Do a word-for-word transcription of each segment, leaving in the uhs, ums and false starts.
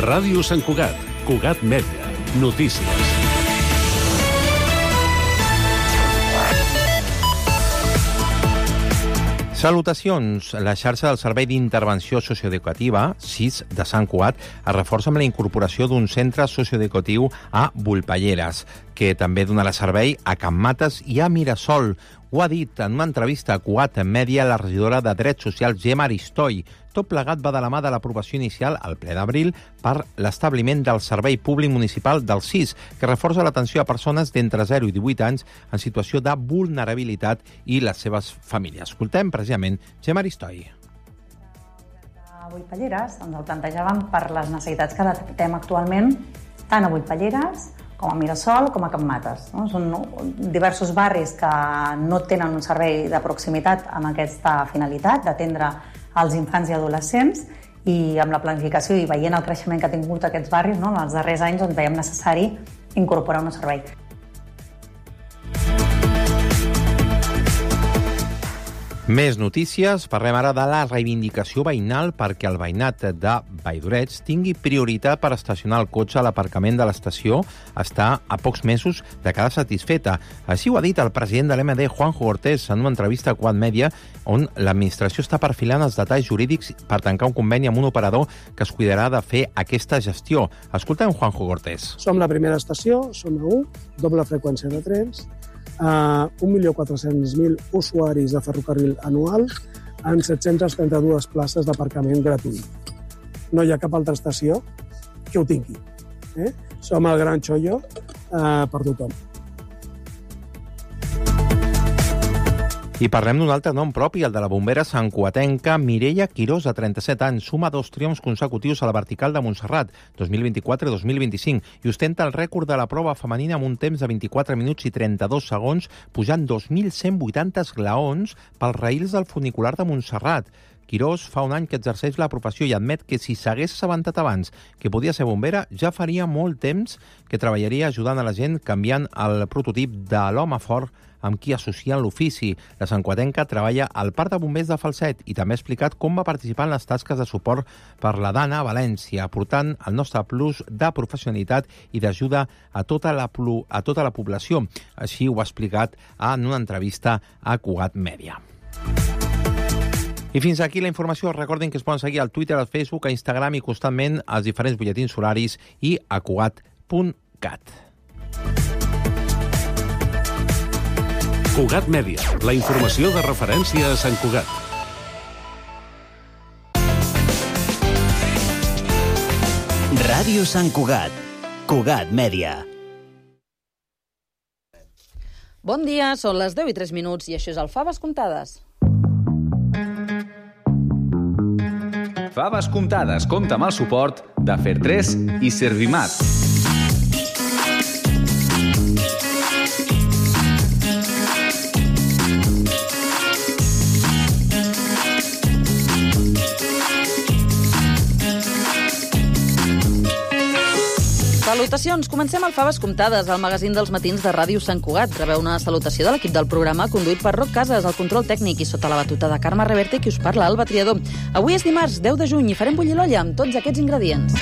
Ràdio Sant Cugat, Cugat Mèdia, notícies. Salutacions. La xarxa del Servei d'Intervenció Socioeducativa, S I S, de Sant Cugat, es reforça amb la incorporació d'un centre socioeducatiu a Volpelleres, que també donarà servei a Can Mates i a Mirasol. Ho ha dit en una entrevista a Cugat Mèdia la regidora de Drets Socials, Gemma Aristoi. Tot plegat va de la mà de l'aprovació inicial al ple d'abril per l'establiment del Servei Públic Municipal del S I S, que reforça l'atenció a persones d'entre zero i divuit anys en situació de vulnerabilitat i les seves famílies. Escoltem precisament Gemma Aristoi. A Volpelleres ens el plantejàvem per les necessitats que detectem actualment tant a Volpelleres com a Mirasol, com a Can Mates. No? Són diversos barris que no tenen un servei de proximitat amb aquesta finalitat, d'atendre als infants i adolescents, i amb la planificació i veient el creixement que ha tingut aquests barris, no? En els darrers anys doncs, veiem necessari incorporar un servei. Més notícies. Parlem ara de la reivindicació veïnal perquè el veïnat de Valldoreix tingui prioritat per estacionar el cotxe a l'aparcament de l'estació. Està a pocs mesos de quedar satisfeta. Així ho ha dit el president de l'M D, Juanjo Cortés, en una entrevista a Cugat Mèdia, on l'administració està perfilant els detalls jurídics per tancar un conveni amb un operador que es cuidarà de fer aquesta gestió. Escoltem Juanjo Cortés. Som la primera estació, som a u, doble freqüència de trens, Uh, un milió quatre-cents mil usuaris de ferrocarril anual en set-centes trenta-dues places d'aparcament gratuït. No hi ha cap altra estació que ho tingui. Eh? Som el gran xollo uh, per tothom. I parlem d'un altre nom propi, el de la bombera santcugatenca Mireia Quirós, de trenta-set anys. Suma dos triomfs consecutius a la vertical de Montserrat, dos mil vint-i-quatre i dos mil vint-i-cinc, i ostenta el rècord de la prova femenina amb un temps de vint-i-quatre minuts i trenta-dos segons, pujant dos mil cent vuitanta esglaons pels raïls del funicular de Montserrat. Quirós fa un any que exerceix la professió i admet que si s'hagués assabentat abans que podia ser bombera, ja faria molt temps que treballaria ajudant a la gent canviant el prototip de l'home fort amb qui associen l'ofici. La santcugatenca treballa al Parc de Bombers de Falset i també ha explicat com va participar en les tasques de suport per la Dana a València, aportant el nostre plus de professionalitat i d'ajuda a tota la, a tota la població. Així ho ha explicat en una entrevista a Cugat Mèdia. I fins aquí la informació. Recordin que es poden seguir al Twitter, al Facebook, a Instagram i constantment als diferents butlletins horaris i a cugat punt cat. Cugat Mèdia, la informació de referència a Sant Cugat. Ràdio Sant Cugat, Cugat Mèdia. Bon dia, són les deu i tres minuts i això és el Faves Comptades. Faves Comptades compta amb el suport de Fer tres i Servimat. Salutacions! Comencem el Faves Comptades, el magazín dels matins de Ràdio Sant Cugat. Rebeu una salutació de l'equip del programa, conduït per Roc Casas, el control tècnic, i sota la batuta de Carme Reverte, qui us parla, Alba Triador. Avui és dimarts, deu de juny, i farem bullir l'olla amb tots aquests ingredients.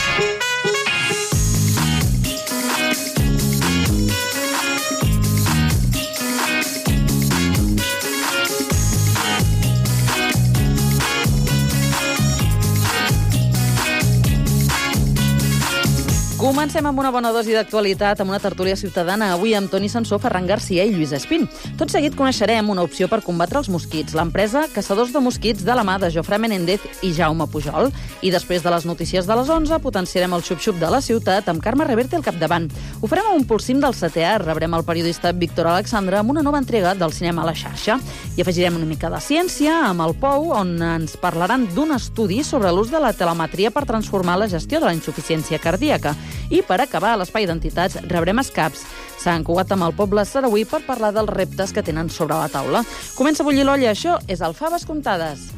Comencem amb una bona dosi d'actualitat, amb una tertúlia ciutadana, avui amb Toni Sansó, Ferran Garcia i Lluís Espín. Tot seguit coneixerem una opció per combatre els mosquits, l'empresa Caçadors de Mosquits de la mà de Jofre Menéndez i Jaume Pujol. I després de les notícies de les onze, potenciarem el xup-xup de la ciutat amb Carme Reverte al capdavant. Ho farem amb un pulsim del setè art, rebrem el periodista Víctor Alexandre amb una nova entrega del cinema a la xarxa. I afegirem una mica de ciència amb el Pou, on ens parlaran d'un estudi sobre l'ús de la telemetria per transformar la gestió de la insuficiència cardíaca. I per acabar, a l'Espai d'Entitats rebrem Escaps. Sant Cugat amb el poble sarauí per parlar dels reptes que tenen sobre la taula. Comença a bullir l'olla, això és el Faves Comptades.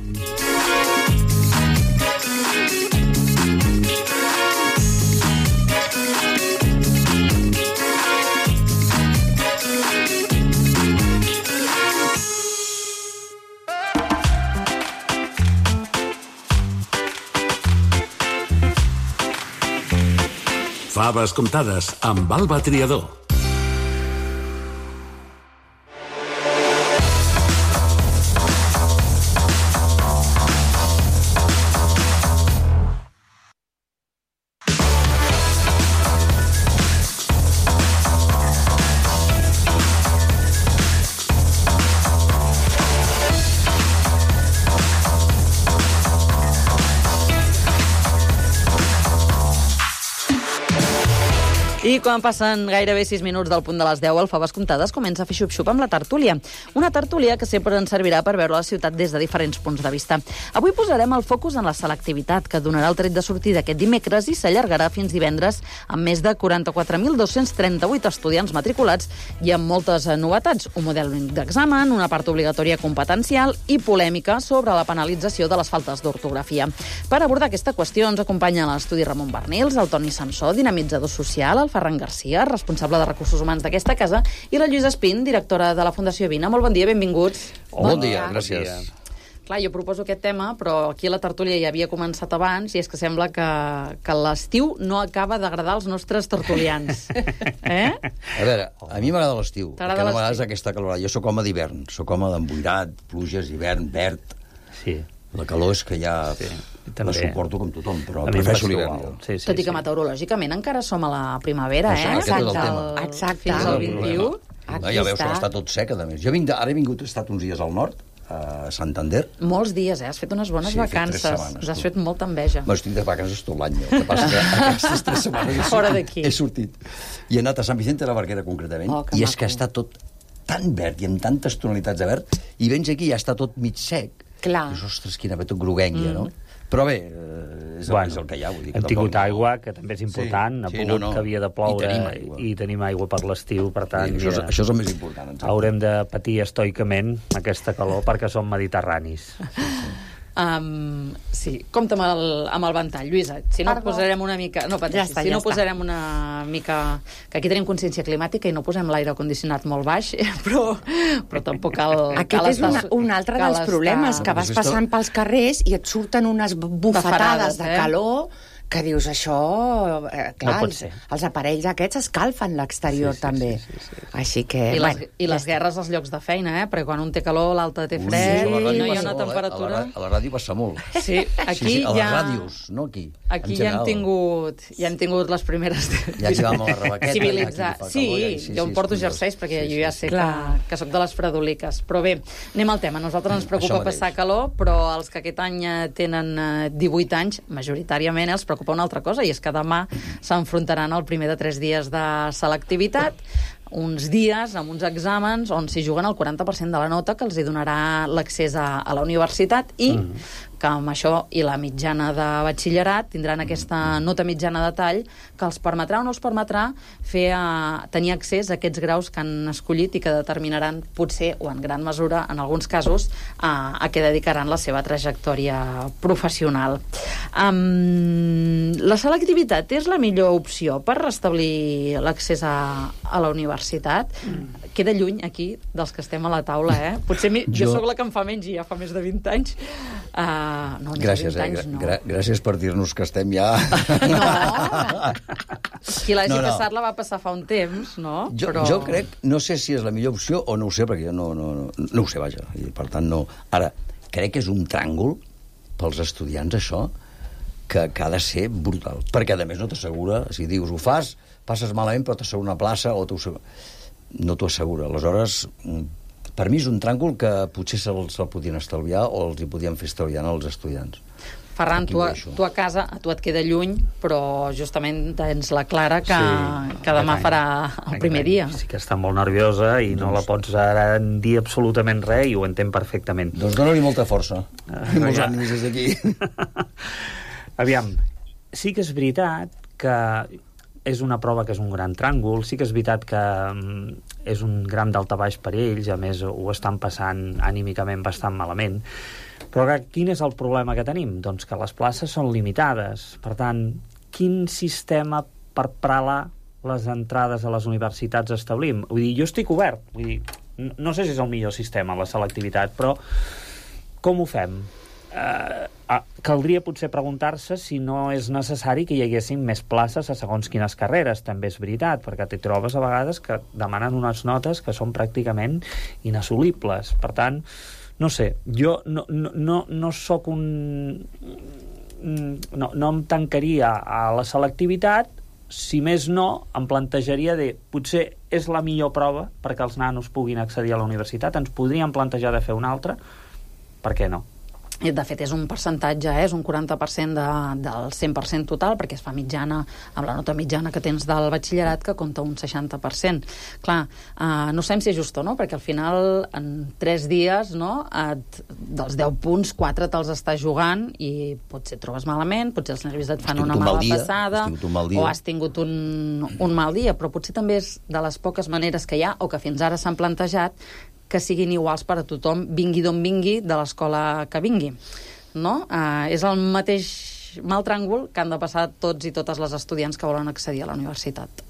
Faves comptades amb Alba Triador. I quan passen gairebé sis minuts del punt de les deu, el Faves Comptades comença a fer xup-xup amb la tertúlia. Una tertúlia que sempre ens servirà per veure la ciutat des de diferents punts de vista. Avui posarem el focus en la selectivitat, que donarà el tret de sortida aquest dimecres i s'allargarà fins divendres amb més de quaranta-quatre mil dos-cents trenta-vuit estudiants matriculats i amb moltes novetats. Un model d'examen, una part obligatòria competencial i polèmica sobre la penalització de les faltes d'ortografia. Per abordar aquesta qüestió ens acompanya a l'estudi Ramon Bernils, el Toni Sansó, dinamitzador social, el Ferran Garcia, responsable de recursos humans d'aquesta casa, i la Lluïsa Espín, directora de la Fundació Vina. Molt bon dia, benvinguts. Bon, bon dia, gràcies. Bon dia. Clar, jo proposo aquest tema, però aquí la tertúlia ja havia començat abans i és que sembla que, que l'estiu no acaba d'agradar als nostres tertulians. Eh? A veure, a mi m'agrada l'estiu, perquè no m'agrada aquesta calor. Jo sóc home d'hivern, sóc home d'emboirat, pluges, hivern, verd. Sí. La calor és que ja sí, la suporto com tothom, però prefereixo l'hivern. Sí, sí, Tot i que sí. meteorològicament encara som a la primavera, eh? Això, aquest és el tema. Exacte. Fins al vint-i-u. No, ja veus que està tot sec, a més. Jo vinc de, ara he vingut, he estat uns dies al nord, a Santander. Molts dies, eh? Has fet unes bones sí, vacances. Setmanes, Us has fet molta enveja. Bueno, estic de vacances tot l'any. El que passa que aquestes tres setmanes he Fora sortit, he sortit. I he anat a Sant Vicente de la Barquera, concretament, oh, i és maco. Que està tot tan verd i amb tantes tonalitats de verd, i vens aquí i ja està tot mig sec. Clar. Dius, ostres, quina ve tot groguenca, mm. no? Però bé, és, bueno, és el que hi ha. Vull dir, hem tingut no... aigua, que també és important, sí, ha pogut sí, no, no. que havia de ploure, I tenim aigua, i tenim aigua per l'estiu, per tant... Sí, això, és, això és el més important. Exacte. Haurem de patir estoicament aquesta calor perquè som mediterranis. Sí, sí. Um, sí, compta amb el, amb el ventall, Lluïsa. Si no Perdó. posarem una mica... No, pateixi, ja està, si ja no està. posarem una mica... Que aquí tenim consciència climàtica i no posem l'aire condicionat molt baix, però, però tampoc cal... Aquest cal és estar, una, un altre dels estar... problemes, que vas passant pels carrers i et surten unes bufetades de calor... que dius, això... Eh, clar, no els, els aparells aquests escalfen l'exterior, sí, sí, també. Sí, sí, sí, sí. Així que... I, bueno, les, i les ja guerres als llocs de feina, eh? Perquè quan un té calor, l'altre té fred, sí, no hi ha una temperatura... Eh? A, la, a la ràdio passa molt. Sí, aquí sí, sí, a les ja... ràdios, no aquí. Aquí ja hem tingut, ja hem tingut les primeres... Ja aquí vam a la rebaqueta. Civilitzar. Sí, ja, sí, jo em porto jerseis perquè sí, sí, jo ja sé sí, que, que sóc de les fredoliques. Però bé, anem al tema. A nosaltres ens preocupa passar calor, però els que aquest any tenen divuit anys, majoritàriament, els preocupa una altra cosa, i és que demà s'enfrontaran al primer de tres dies de selectivitat, uns dies amb uns exàmens on s'hi juguen el quaranta per cent de la nota que els hi donarà l'accés a, a la universitat i mm. que amb això i la mitjana de batxillerat tindran aquesta nota mitjana de tall que els permetrà o no els permetrà fer a, tenir accés a aquests graus que han escollit i que determinaran potser o en gran mesura en alguns casos a, a què dedicaran la seva trajectòria professional. Um, la selectivitat és la millor opció per restablir l'accés a, a la universitat? Mm. Queda lluny aquí dels que estem a la taula, eh? Potser mi, jo, jo sóc la que en fa menys i ja fa més de vint anys. Uh, no, gràcies, de vint anys, eh? no. Gra gràcies per dir-nos que estem ja... No! Qui l'hagi no, no. passat la va passar fa un temps, no? Jo, Però... jo crec, no sé si és la millor opció o no ho sé, perquè jo no, no, no, no ho sé, vaja. I per tant, no... Ara, crec que és un tràngol pels estudiants, això, que, que ha de ser brutal. Perquè, a més, no t'assegura, si dius, ho fas, passes malament, però t'assegura una plaça, o no t'ho assegura. Aleshores, per mi és un tràngol que potser se'l se podien estalviar o els hi podien fer estalviar als estudiants. Ferran, tu a, tu a casa, a tu et queda lluny, però justament tens la Clara que, sí, que demà farà el primer dia. Sí que està molt nerviosa i doncs... no la pots ara dir absolutament res i ho entén perfectament. Doncs dona-li molta força. Uh, I molts ja. ànims des d'aquí. Aviam, sí que és veritat que és una prova que és un gran tràngol, sí que és veritat que um, és un gran daltabaix per ells, a més ho estan passant anímicament bastant malament, però quin és el problema que tenim? Doncs que les places són limitades, per tant, quin sistema per pralar les entrades a les universitats establim? Vull dir, jo estic obert, vull dir, no sé si és el millor sistema, la selectivitat, però com ho fem? Uh, caldria potser preguntar-se si no és necessari que hi haguessin més places a segons quines carreres, també és veritat, perquè t'hi trobes a vegades que demanen unes notes que són pràcticament inassolibles. Per tant, no sé, jo no, no, no, no sóc un... No, no em tancaria a la selectivitat, si més no, em plantejaria de potser és la millor prova perquè els nanos puguin accedir a la universitat, ens podríem plantejar de fer una altra, per què no? De fet, és un percentatge, eh? És un quaranta per cent de, del cent per cent total, perquè es fa mitjana, amb la nota mitjana que tens del batxillerat, que compta un seixanta per cent. Clar, eh, no sabem si és just o no, perquè al final, en tres dies, no, et, dels deu punts, quatre te'ls estàs jugant i potser et trobes malament, potser els nervis et fan una mala dia, passada, has o has tingut un, un mal dia, però potser també és de les poques maneres que hi ha, o que fins ara s'han plantejat, que siguin iguals per a tothom, vingui d'on vingui, de l'escola que vingui. No? Uh, és el mateix mal tràngol que han de passar tots i totes les estudiants que volen accedir a la universitat.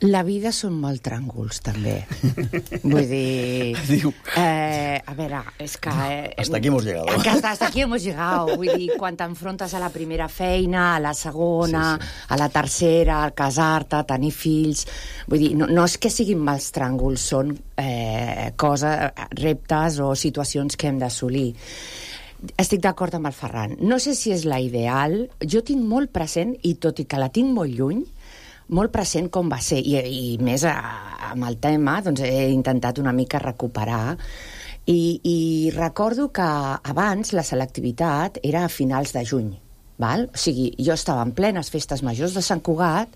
La vida són molt tràngols, també. Vull dir... Diu... Eh, a veure, és que... Eh, hasta aquí hemos llegado. Que hasta, hasta aquí hemos llegado. Vull dir, quan t'enfrontes a la primera feina, a la segona, sí, sí. a la tercera, a casar-te, a tenir fills... Vull dir, no, no és que siguin mals tràngols, són eh, coses, reptes o situacions que hem d'assolir. Estic d'acord amb el Ferran. No sé si és la ideal. Jo tinc molt present, i tot i que la tinc molt lluny, molt present com va ser, i, i més a, amb el tema, doncs he intentat una mica recuperar, i, i recordo que abans la selectivitat era a finals de juny, val? O sigui, jo estava en plenes festes majors de Sant Cugat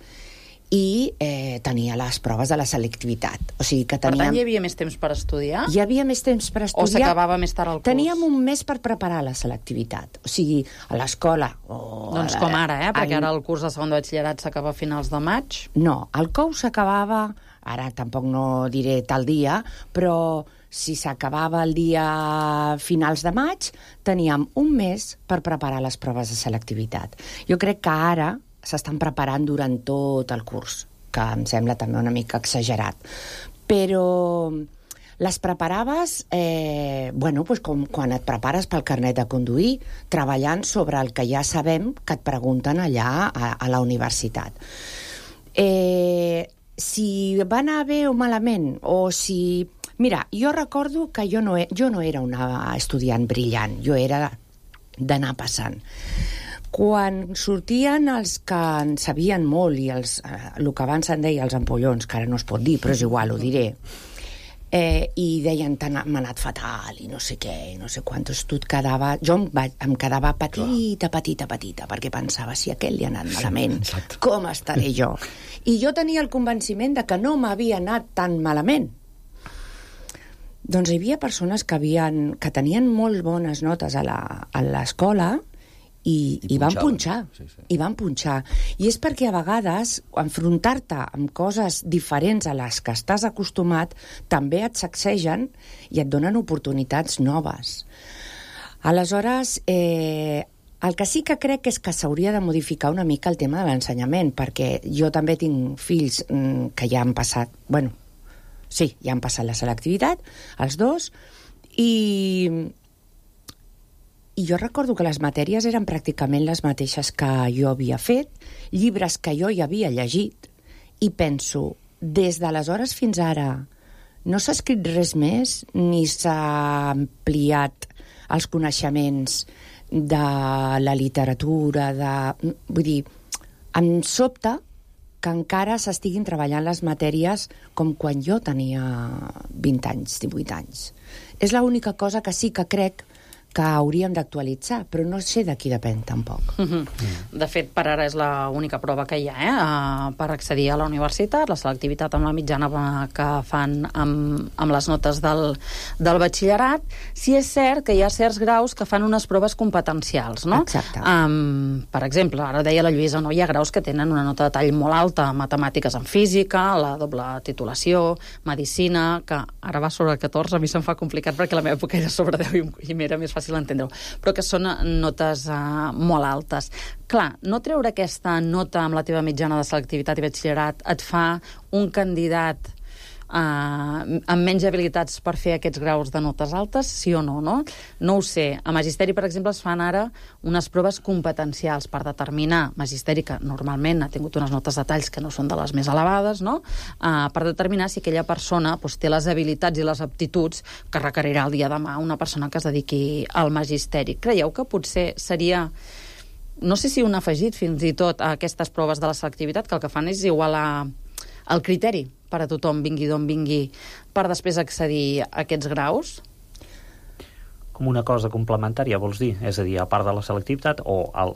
i eh, tenia les proves de la selectivitat. O sigui que teníem... Per tant, hi havia més temps per estudiar? Hi havia més temps per estudiar. O s'acabava més tard el curs? Teníem un mes per preparar la selectivitat. O sigui, a l'escola... O doncs la, com ara, eh? Perquè ara el curs de segon de batxillerat s'acaba a finals de maig. No, el cou s'acabava... Ara tampoc no diré tal dia, però si s'acabava el dia finals de maig, teníem un mes per preparar les proves de selectivitat. Jo crec que ara s'estan preparant durant tot el curs, que em sembla també una mica exagerat. Però les preparaves, eh, bueno, pues com quan et prepares pel carnet de conduir, treballant sobre el que ja sabem que et pregunten allà a, a la universitat. Eh, si va anar bé o malament, o si... Mira, jo recordo que jo no, jo no era una estudiant brillant, jo era d'anar passant. Quan sortien els que en sabien molt i els, eh, el que abans se'n deia els ampollons, que ara no es pot dir, però és igual, ho diré, eh, i deien m'ha anat fatal i no sé què, no sé quantos, tu et quedava... Jo em, va, em quedava petita, petita, petita, perquè pensava, si a aquell li ha anat malament, sí, com estaré jo? I jo tenia el convenciment de que no m'havia anat tan malament. Doncs hi havia persones que, havien, que tenien molt bones notes a l'escola i, I, i van punxar, sí, sí. i van punxar. I és perquè a vegades enfrontar-te amb coses diferents a les que estàs acostumat també et sacsegen i et donen oportunitats noves. Aleshores, eh, el que sí que crec és que s'hauria de modificar una mica el tema de l'ensenyament, perquè jo també tinc fills mm, que ja han passat, bueno, sí, ja han passat la selectivitat, els dos, i... I jo recordo que les matèries eren pràcticament les mateixes que jo havia fet, llibres que jo ja havia llegit, i penso, des d'aleshores fins ara no s'ha escrit res més, ni s'ha ampliat els coneixements de la literatura, de... Vull dir, em sobta que encara s'estiguin treballant les matèries com quan jo tenia vint anys, divuit anys. És l'única cosa que sí que crec que hauríem d'actualitzar, però no sé de qui depèn, tampoc. Uh-huh. Mm. De fet, per ara és l'única prova que hi ha, eh? Uh, per accedir a la universitat, la selectivitat amb la mitjana que fan amb, amb les notes del, del batxillerat. Sí és cert que hi ha certs graus que fan unes proves competencials, no? Exacte. Um, per exemple, ara deia la Lluïsa, no? Hi ha graus que tenen una nota de tall molt alta, matemàtiques en física, la doble titulació, medicina, que ara va sobre catorze, a mi se'm fa complicat perquè la meva època era sobre deu i, i m'era més fàcil entendre-ho, però que són notes uh, molt altes. Clar, no treure aquesta nota amb la teva mitjana de selectivitat i batxillerat et fa un candidat uh, amb menys habilitats per fer aquests graus de notes altes, sí o no, no? No ho sé. A Magisteri, per exemple, es fan ara unes proves competencials per determinar, Magisteri, que normalment ha tingut unes notes de talls que no són de les més elevades, no? Uh, per determinar si aquella persona doncs, té les habilitats i les aptituds que requerirà el dia de demà una persona que es dediqui al Magisteri. Creieu que potser seria, no sé si un afegit fins i tot a aquestes proves de la selectivitat, que el que fan és igualar el criteri per a tothom, vingui d'on vingui, per després accedir a aquests graus? Com una cosa complementària, vols dir? És a dir, a part de la selectivitat o el,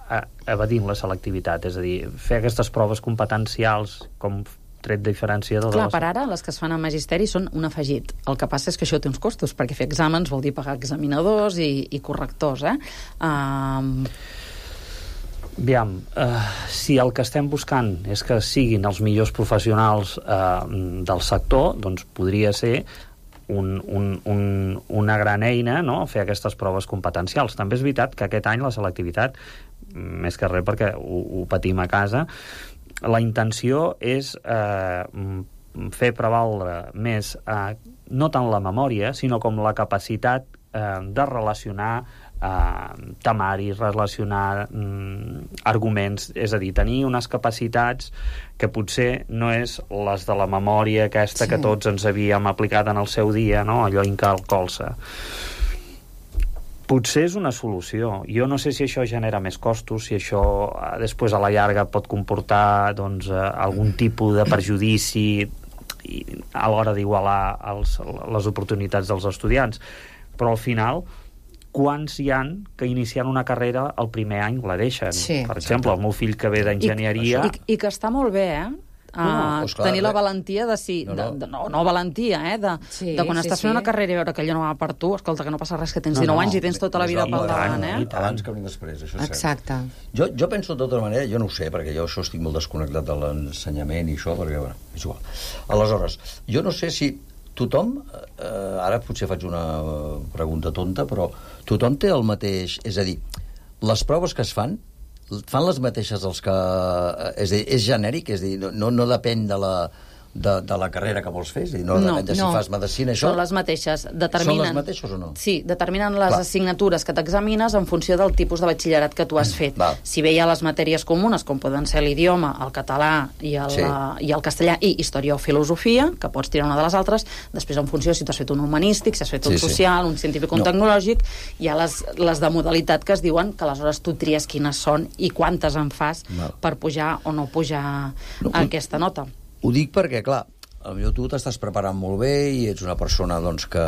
a, evadint la selectivitat? És a dir, fer aquestes proves competencials com tret diferenciador... Clar, de les... per ara, les que es fan a Magisteri són un afegit. El que passa és que això té uns costos, perquè fer exàmens vol dir pagar examinadors i, i correctors, eh? Um... Aviam, uh, si el que estem buscant és que siguin els millors professionals uh, del sector, doncs podria ser un, un, un, una gran eina, no?, fer aquestes proves competencials. També és veritat que aquest any la selectivitat, més que res perquè ho, ho patim a casa, la intenció és eh, fer prevaldre més eh, no tant la memòria, sinó com la capacitat eh, de relacionar eh, temaris, relacionar mm, arguments, és a dir, tenir unes capacitats que potser no és les de la memòria aquesta sí. que tots ens havíem aplicat en el seu dia, no?, allò incalcolsa. Potser és una solució. Jo no sé si això genera més costos, si això eh, després a la llarga pot comportar doncs, eh, algun tipus de perjudici i, a l'hora d'igualar els, les oportunitats dels estudiants. Però al final, quants hi han que iniciant una carrera el primer any la deixen? Sí. Per exemple, el meu fill que ve d'enginyeria... I, i, I que està molt bé, eh? Uh, no, doncs clar, tenir la valentia de si... No, no, de, de, no, no valentia, eh? De, sí, de quan sí, estàs sí. fent una carrera i veure que allò no va per tu, escolta, que no passa res, que tens no, dinou no, anys i tens tota la vida pel davant, eh? Abans que després, això és exacte. Jo, jo penso de tota manera, jo no ho sé, perquè jo això estic molt desconnectat de l'ensenyament i això, perquè, bueno, és igual. Aleshores, jo no sé si tothom, eh, ara potser faig una pregunta tonta, però tothom té el mateix... És a dir, les proves que es fan fan les mateixes els que... És, dir, és genèric, és a dir, no, no depèn de la, de, de la carrera que vols fer, és a dir, no, no depèn de si no. fas medicina, això... Són les mateixes. Determinen... Són les mateixes o no? Sí, determinen les Clar. assignatures que t'examines en funció del tipus de batxillerat que tu has fet. Va. Si bé hi ha les matèries comunes, com poden ser l'idioma, el català i el, sí. i el castellà, i història o filosofia, que pots tirar una de les altres, després en funció si t'has fet un humanístic, si has fet un sí, social, sí. un científic, un no. tecnològic, hi ha les, les de modalitat que es diuen que aleshores tu tries quines són i quantes en fas Va. per pujar o no pujar no, a aquesta nota. Ho dic perquè, clar, potser tu t'estàs preparant molt bé i ets una persona doncs, que,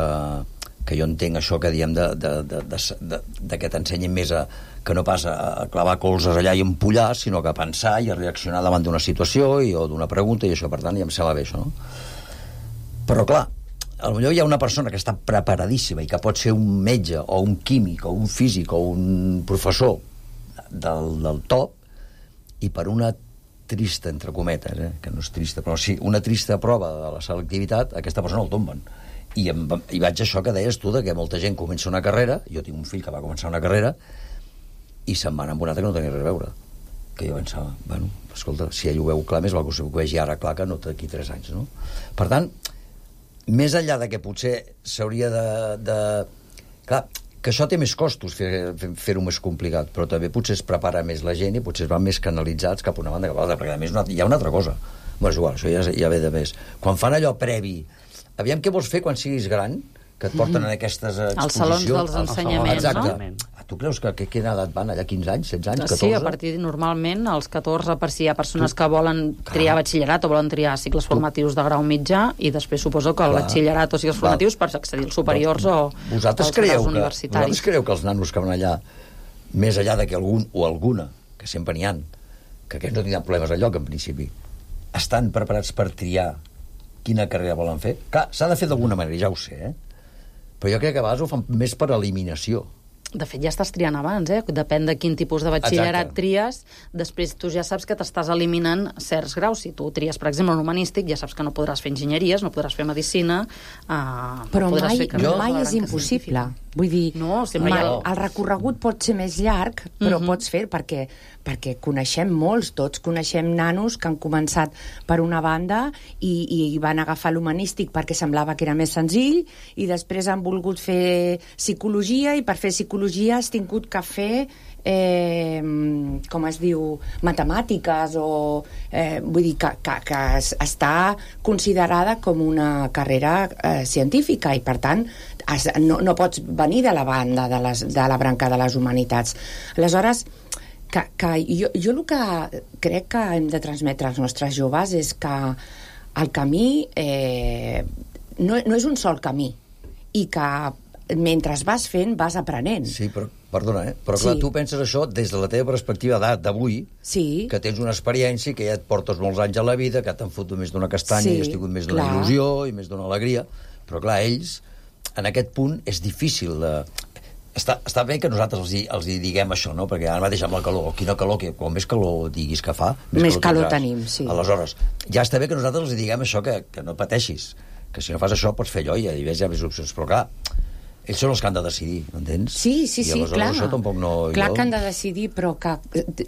que jo entenc això que diem de, de, de, de, de, de que t'ensenyin més a, que no pas a clavar colzes allà i empollar, sinó que a pensar i a reaccionar davant d'una situació i, o d'una pregunta i això, per tant, ja em sembla bé això, no? Però clar, potser hi ha una persona que està preparadíssima i que pot ser un metge o un químic o un físic o un professor del, del top i per una trista, entre cometes, eh? que no és trista, però sí, una trista prova de la selectivitat, aquesta persona el tomben. I, em, i vaig a això que deies tu, de que molta gent comença una carrera, jo tinc un fill que va començar una carrera, i se'n va anar amb una altra que no tenia res a veure. Que jo pensava, bueno, escolta, si ell ho veu clar, més val que ho vegi ara clar que no d'aquí tres anys, no? Per tant, més enllà de que potser s'hauria de, de... Clar, que això té més costos, fer-ho fer més complicat, però també potser es prepara més la gent i potser es van més canalitzats cap a una banda cap a l'altra, perquè a més una, hi ha una altra cosa. Bé, és igual, això ja, ja ve de més. Quan fan allò previ, aviam què vols fer quan siguis gran, que et porten en aquestes exposicions... Els salons dels ensenyaments, exacte. No? Tu creus que a quina edat van allà? quinze anys, setze anys, catorze? Sí, a partir, normalment, als catorze, per si hi ha persones que volen triar batxillerat o volen triar cicles formatius de grau mitjà, i després suposo que el Clar. batxillerat o cicles formatius per accedir als superiors o als graus universitaris. Vosaltres creieu que els nanos que van allà, més allà de que algun o alguna, que sempre n'hi ha, que aquests no tindran problemes al lloc, en principi, estan preparats per triar quina carrera volen fer? Clar, s'ha de fer d'alguna manera, ja ho sé, eh? Però jo crec que a vegades ho fan més per eliminació. De fet, ja estàs triant abans, eh? Depèn de quin tipus de batxillerat Exacte. tries, després tu ja saps que t'estàs eliminant certs graus. Si tu tries, per exemple, un humanístic, ja saps que no podràs fer enginyeries, no podràs fer medicina... Eh, Però no mai, fer mai és impossible. Vull dir, no, ma, el recorregut pot ser més llarg, però uh-huh. pots fer perquè, perquè coneixem molts, tots coneixem nanos que han començat per una banda i, i van agafar l'humanístic perquè semblava que era més senzill i després han volgut fer psicologia i per fer psicologia has tingut que fer eh, com es diu, matemàtiques o eh, vull dir que, que, que està considerada com una carrera eh, científica i per tant has, no, no pots venir de la banda de, les, de la branca de les humanitats. Aleshores que, que jo, jo el que crec que hem de transmetre als nostres joves és que el camí eh, no, no és un sol camí i que mentre vas fent vas aprenent. Sí, però, perdona, eh? però clar, sí. tu penses això des de la teva perspectiva d'avui, sí. que tens una experiència, que ja et portes molts anys a la vida, que t'han fotut més d'una castanya sí, i has tingut més d'una il·lusió i més d'una alegria, però clar, ells, en aquest punt, és difícil de... Està, està bé que nosaltres els hi, els hi diguem això, no? Perquè ara mateix amb la calor, quina calor, que quan més calor diguis que fa, més, més calor, calor tenim, sí. Aleshores, ja està bé que nosaltres els hi diguem això, que, que no pateixis, que si no fas això pots fer allò i hi ha més opcions, però clar, ells són els que han de decidir, m'entens? Sí, sí, sí, clar. Això tampoc no... Clar jo... que han de decidir, però que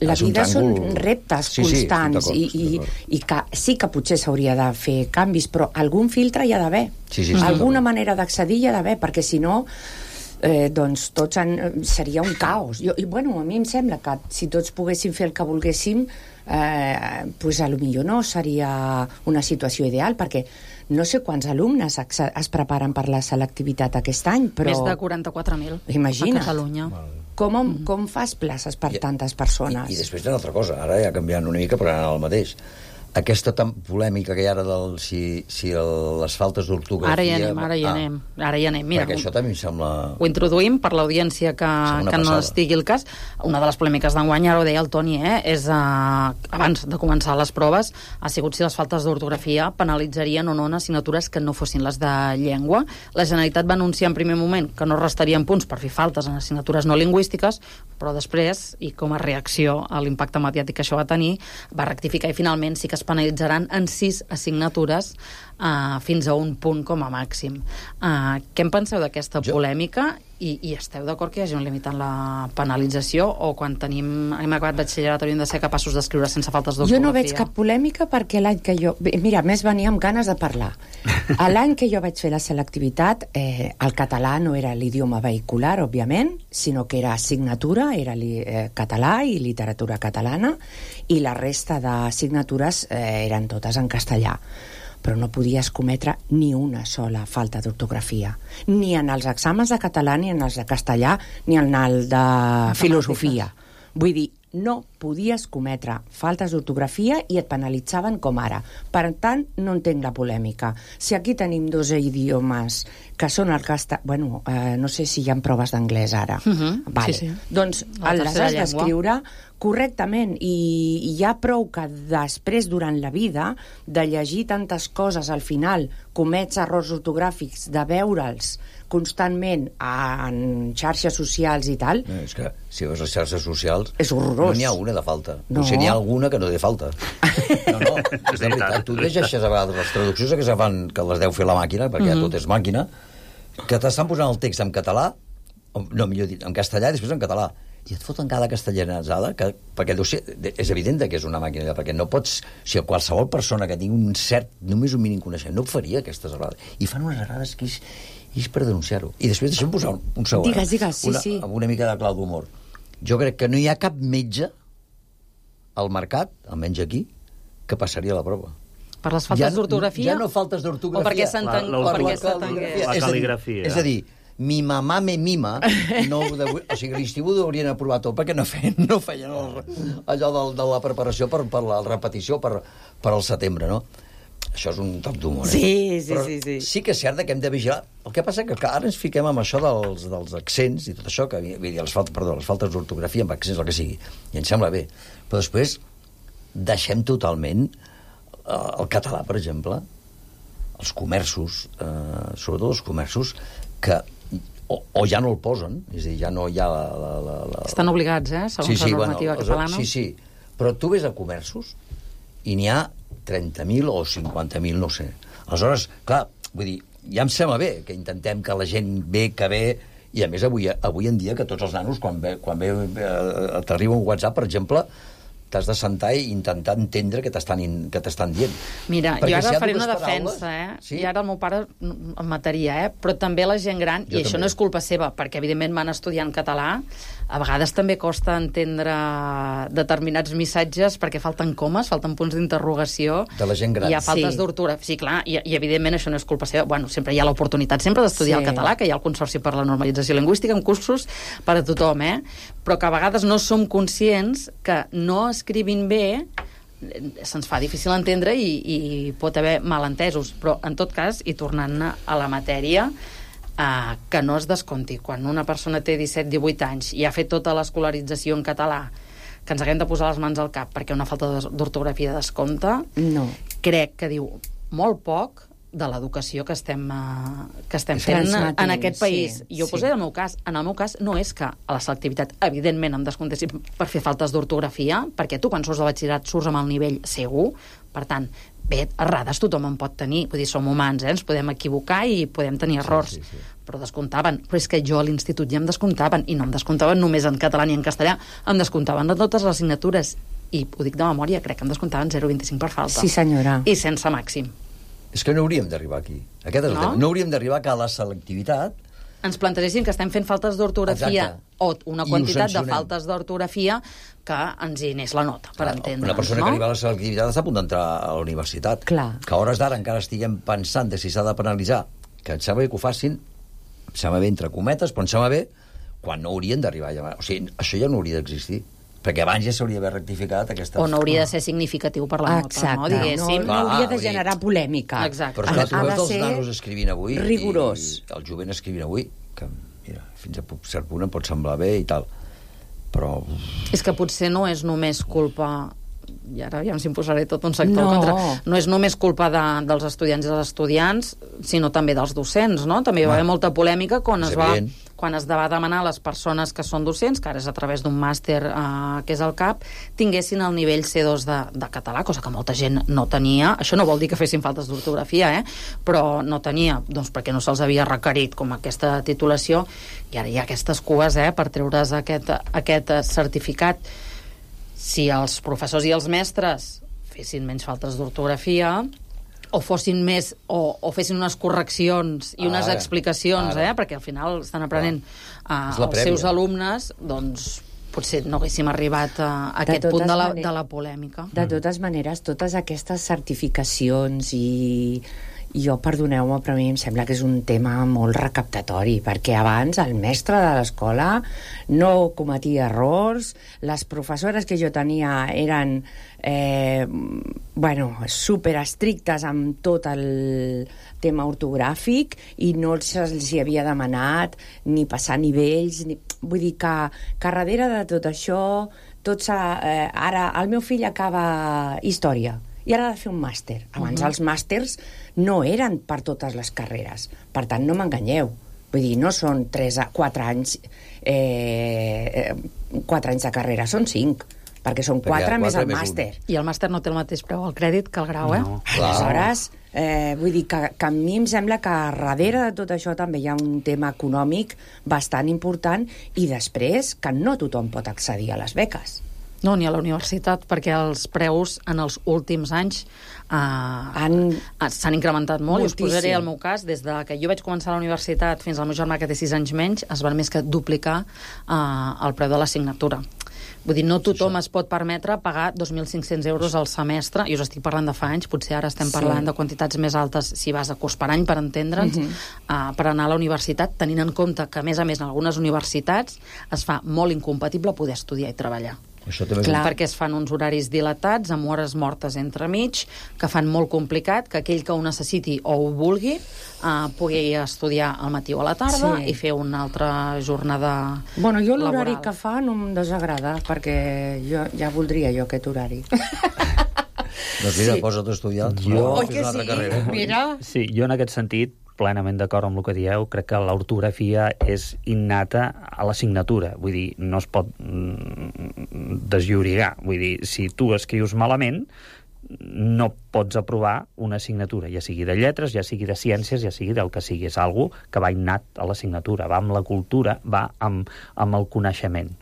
la vida tràngol... són reptes sí, constants sí, i, i, i que sí que potser s'hauria de fer canvis, però algun filtre hi ha d'haver. Sí, sí, sí, Alguna sí, manera d'accedir hi ha d'haver, perquè si no... Eh, doncs tots han, seria un caos. Jo, i bueno, a mi em sembla que si tots poguéssim fer el que volguéssim, eh, pues a lo millor no seria una situació ideal, perquè no sé quants alumnes es, es preparen per la selectivitat aquest any, però... Més de quaranta-quatre mil Imagina't. A Catalunya. Com, com fas places per I, tantes persones? I, I després hi ha una altra cosa, ara ja canviant una mica, però anant al mateix. Aquesta tan polèmica que hi ha ara del, si, si el, les faltes d'ortografia... Ara hi anem, ara hi anem. Ah, ara hi anem. Mira, perquè això també em sembla... Ho introduïm per l'audiència que, que no estigui el cas. Una de les polèmiques d'enguany, ara ho deia el Toni, eh, és uh, abans de començar les proves, ha sigut si les faltes d'ortografia penalitzarien o no en assignatures que no fossin les de llengua. La Generalitat va anunciar en primer moment que no restarien punts per fer faltes en assignatures no lingüístiques, però després, i com a reacció a l'impacte mediàtic que això va tenir, va rectificar i finalment sí que es penalitzaran en sis assignatures uh, fins a un punt com a màxim. Uh, què en penseu d'aquesta polèmica? I, i esteu d'acord que hi hagi un límit en la penalització o quan tenim, hem acabat batxillerat hauríem de ser capaços d'escriure sense faltes d'ortografia? Jo no veig cap polèmica perquè l'any que jo... Mira, més venia amb ganes de parlar. L'any que jo vaig fer la selectivitat, eh, el català no era l'idioma vehicular, òbviament, sinó que era assignatura, era li, eh, català i literatura catalana, i la resta d'assignatures eh, eren totes en castellà. Però no podies cometre ni una sola falta d'ortografia. Ni en els exàmens de català, ni en els de castellà, ni en el de filosofia. Vull dir, no podies cometre faltes d'ortografia i et penalitzaven com ara. Per tant, no entenc la polèmica. Si aquí tenim dos idiomes que són el castellà... Bueno, eh, no sé si hi ha proves d'anglès ara. Uh-huh. Vale. Sí, sí. Doncs les has d'escriure correctament i hi ha prou que després, durant la vida, de llegir tantes coses, al final comets errors ortogràfics, de veure'ls constantment en xarxes socials i tal... No, és que si veus les xarxes socials... És horrorós. No n'hi ha una de falta. No. Potser n'hi ha alguna que no té falta. No, no, és de veritat. Tu llegeixes a vegades les traduccions que se fan, que les deu fer la màquina, perquè mm-hmm. ja tot és màquina, que t'estan posant el text en català, no, millor dit, en castellà i després en català. I et foten cada castellanitzada, que, perquè deu ser, és evident que és una màquina, perquè no pots... O sigui, qualsevol persona que tingui un cert, només un mínim coneixement, no faria aquestes errades. I fan unes errades que és, és per denunciar-ho. I després deixem posar un, un segon. Digues, digues, sí, una, sí. Amb una mica de clau d'humor. Jo crec que no hi ha cap metge al mercat, almenys aquí, que passaria la prova. Per les faltes ja, d'ortografia? Ja no faltes d'ortografia. O perquè s'entengués? La cal·ligrafia. És a dir, mi mamà me mima, no, de, o sigui, l'estiu ho haurien aprovat tot perquè no feien, no feien el, allò de, de la preparació per, per la repetició per, per al setembre, no? Això és un toc d'humor, eh? Sí, sí, però sí, sí. Sí que és cert que hem de vigilar. El que passa que, clar, ara ens fiquem amb això dels, dels accents i tot això, que, vull dir, les faltes, perdó, les faltes d'ortografia amb accents, el que sigui, i ens sembla bé. Però després deixem totalment eh, el català, per exemple, els comerços, eh, sobretot els comerços, que o, o ja no el posen, és a dir, ja no hi ha la... la, la, la... Estan obligats, eh, segons sí, sí, la normativa bueno, catalana. Sí, sí, però tu ves a comerços i n'hi ha trenta mil o cinquanta mil, no sé. Aleshores, clar, vull dir, ja em sembla bé que intentem que la gent ve, que ve, I a més, avui, avui en dia, que tots els nanos, quan, ve, quan ve, eh, t'arriba un WhatsApp, per exemple, t'has de sentar i intentar entendre què t'estan, que t'estan dient. Mira, Perquè jo ara si faré una paraules, defensa, eh? Sí? I ara el meu pare em mataria, eh? Però també la gent gran, Jo i això també. no és culpa seva, perquè evidentment van estudiar en català, a vegades també costa entendre determinats missatges perquè falten comes, falten punts d'interrogació. De la gent gran. Hi ha faltes Sí. d'ortografia. Sí, clar, i, i evidentment això no és culpa seva. Bueno, sempre hi ha l'oportunitat sempre d'estudiar Sí. el català, que hi ha el Consorci per la Normalització Lingüística, amb cursos per a tothom, eh? Però que a vegades no som conscients que no escrivint bé se'ns fa difícil entendre i, i pot haver malentesos, però en tot cas, i tornant a la matèria, eh, que no es descompti quan una persona té disset divuit anys i ha fet tota l'escolarització en català, que ens haguem de posar les mans al cap perquè una falta d'ortografia descompta, No. crec que diu molt poc de l'educació que estem, uh, que estem fent Transmetent, en aquest país. sí, I ho sí. posaré en el meu cas. En el meu cas no és que a la selectivitat, evidentment, em descomptessin per fer faltes d'ortografia, perquè tu, quan surts de batxillerat, surts amb el nivell segur. Per tant, bé, errades tothom en pot tenir. Vull dir, som humans, eh? Ens podem equivocar i podem tenir errors. Sí, sí, sí. Però descomptaven. Però és que jo a l'institut ja em descomptaven, i no em descomptaven només en català ni en castellà, em descomptaven de totes les assignatures. I ho dic de memòria, crec que em descomptaven zero coma vint-i-cinc per falta. Sí, senyora. I sense màxim. És que no hauríem d'arribar aquí. Aquest és el No? tema. No hauríem d'arribar que a la selectivitat ens plantegessin que estem fent faltes d'ortografia Exacte. o una I ho quantitat de sancionem. faltes d'ortografia que ens hi anés la nota, per Clar, entendre'ns, una persona no? que arriba a la selectivitat està a punt d'entrar a la universitat. Clar. Que a hores d'ara encara estiguem pensant de si s'ha de penalitzar, que em sembla bé que ho facin, em sembla bé entre cometes, però em sembla bé quan no haurien d'arribar allà. O sigui, això ja no hauria d'existir, perquè abans ja s'hauria d'haver rectificat aquesta... O no hauria de ser significatiu per la nota, Exacte, no? no, Diguéssim. no Ah, hauria ah, de vull dir- generar polèmica. Exacte. Però esclar, tu Ha de veus els ser nanos escrivint avui rigorós. i el jovent escrivint avui, que mira, fins a cert punt em pot semblar bé i tal, però... És que potser no és només culpa, i ara ja ens imposaré tot un sector No. contra, no és només culpa de, dels estudiants i dels estudiants, sinó també dels docents, no? També hi va haver molta polèmica quan És es va evident. quan es va demanar a les persones que són docents, que ara és a través d'un màster eh, que és el C A P, tinguessin el nivell C dos de, de català, cosa que molta gent no tenia. Això no vol dir que fessin faltes d'ortografia, eh? Però no tenia, doncs perquè no se'ls havia requerit com aquesta titulació, i ara hi ha aquestes cues eh, per treure's aquest, aquest certificat. Si els professors i els mestres fessin menys faltes d'ortografia, o fossin més, o, o fessin unes correccions i unes Ara, explicacions, ara. eh? Perquè al final estan aprenent uh, És la els prèvia. seus alumnes, doncs potser no haguéssim arribat a, a aquest totes punt de la, maneres- de la polèmica. De totes maneres, totes aquestes certificacions i... Jo, perdoneu-me, però a mi em sembla que és un tema molt recaptatori, perquè abans el mestre de l'escola no cometia errors, les professores que jo tenia eren eh, bueno, super estrictes amb tot el tema ortogràfic i no se'ls hi havia demanat ni passar nivells, ni... vull dir que, que darrere de tot això tot s'ha, eh, ara el meu fill acaba història i ara ha de fer un màster. Abans uh-huh. els màsters no eren per totes les carreres. Per tant, no m'enganyeu. Vull dir, no són tres a quatre anys eh, quatre anys de carrera, són cinc, perquè són Perquè quatre, més quatre el més un. màster. I el màster no té el mateix preu al crèdit que el grau, eh? No. Aleshores, eh, vull dir que, que a mi em sembla que darrere de tot això també hi ha un tema econòmic bastant important i després que no tothom pot accedir a les beques. No, ni a la universitat, perquè els preus en els últims anys eh, Han- s'han incrementat molt. I us Moltíssim. posaré el meu cas. Des de que jo vaig començar a la universitat fins al meu germà, que té sis anys menys, es van més que duplicar eh, el preu de l'assignatura. Vull dir, no tothom es pot permetre pagar dos mil cinc-cents euros al semestre, i us estic parlant de fa anys, potser ara estem Sí. parlant de quantitats més altes si vas a curs per any, per entendre'ns, Mhm. uh, per anar a la universitat, tenint en compte que, a més a més, en algunes universitats es fa molt incompatible poder estudiar i treballar. Això també és Clar. Perquè es fan uns horaris dilatats, amb hores mortes entremig, que fan molt complicat que aquell que ho necessiti o ho vulgui uh, pugui estudiar al matí o a la tarda Sí. i fer una altra jornada Bueno, jo l'horari laboral. que fa no em desagrada, perquè jo ja voldria jo aquest horari. Doncs mira, Sí. posa't a estudiar. Jo- No, Oi fes que una altra sí? carrera. Mira. Sí, jo en aquest sentit, plenament d'acord amb el que dieu, crec que l'ortografia és innata a l'assignatura. Vull dir, no es pot mm, deslliurigar. Vull dir, si tu escrius malament, no pots aprovar una assignatura, ja sigui de lletres, ja sigui de ciències, ja sigui del que sigui. És algo que va innat a l'assignatura, va amb la cultura, va amb, amb el coneixement.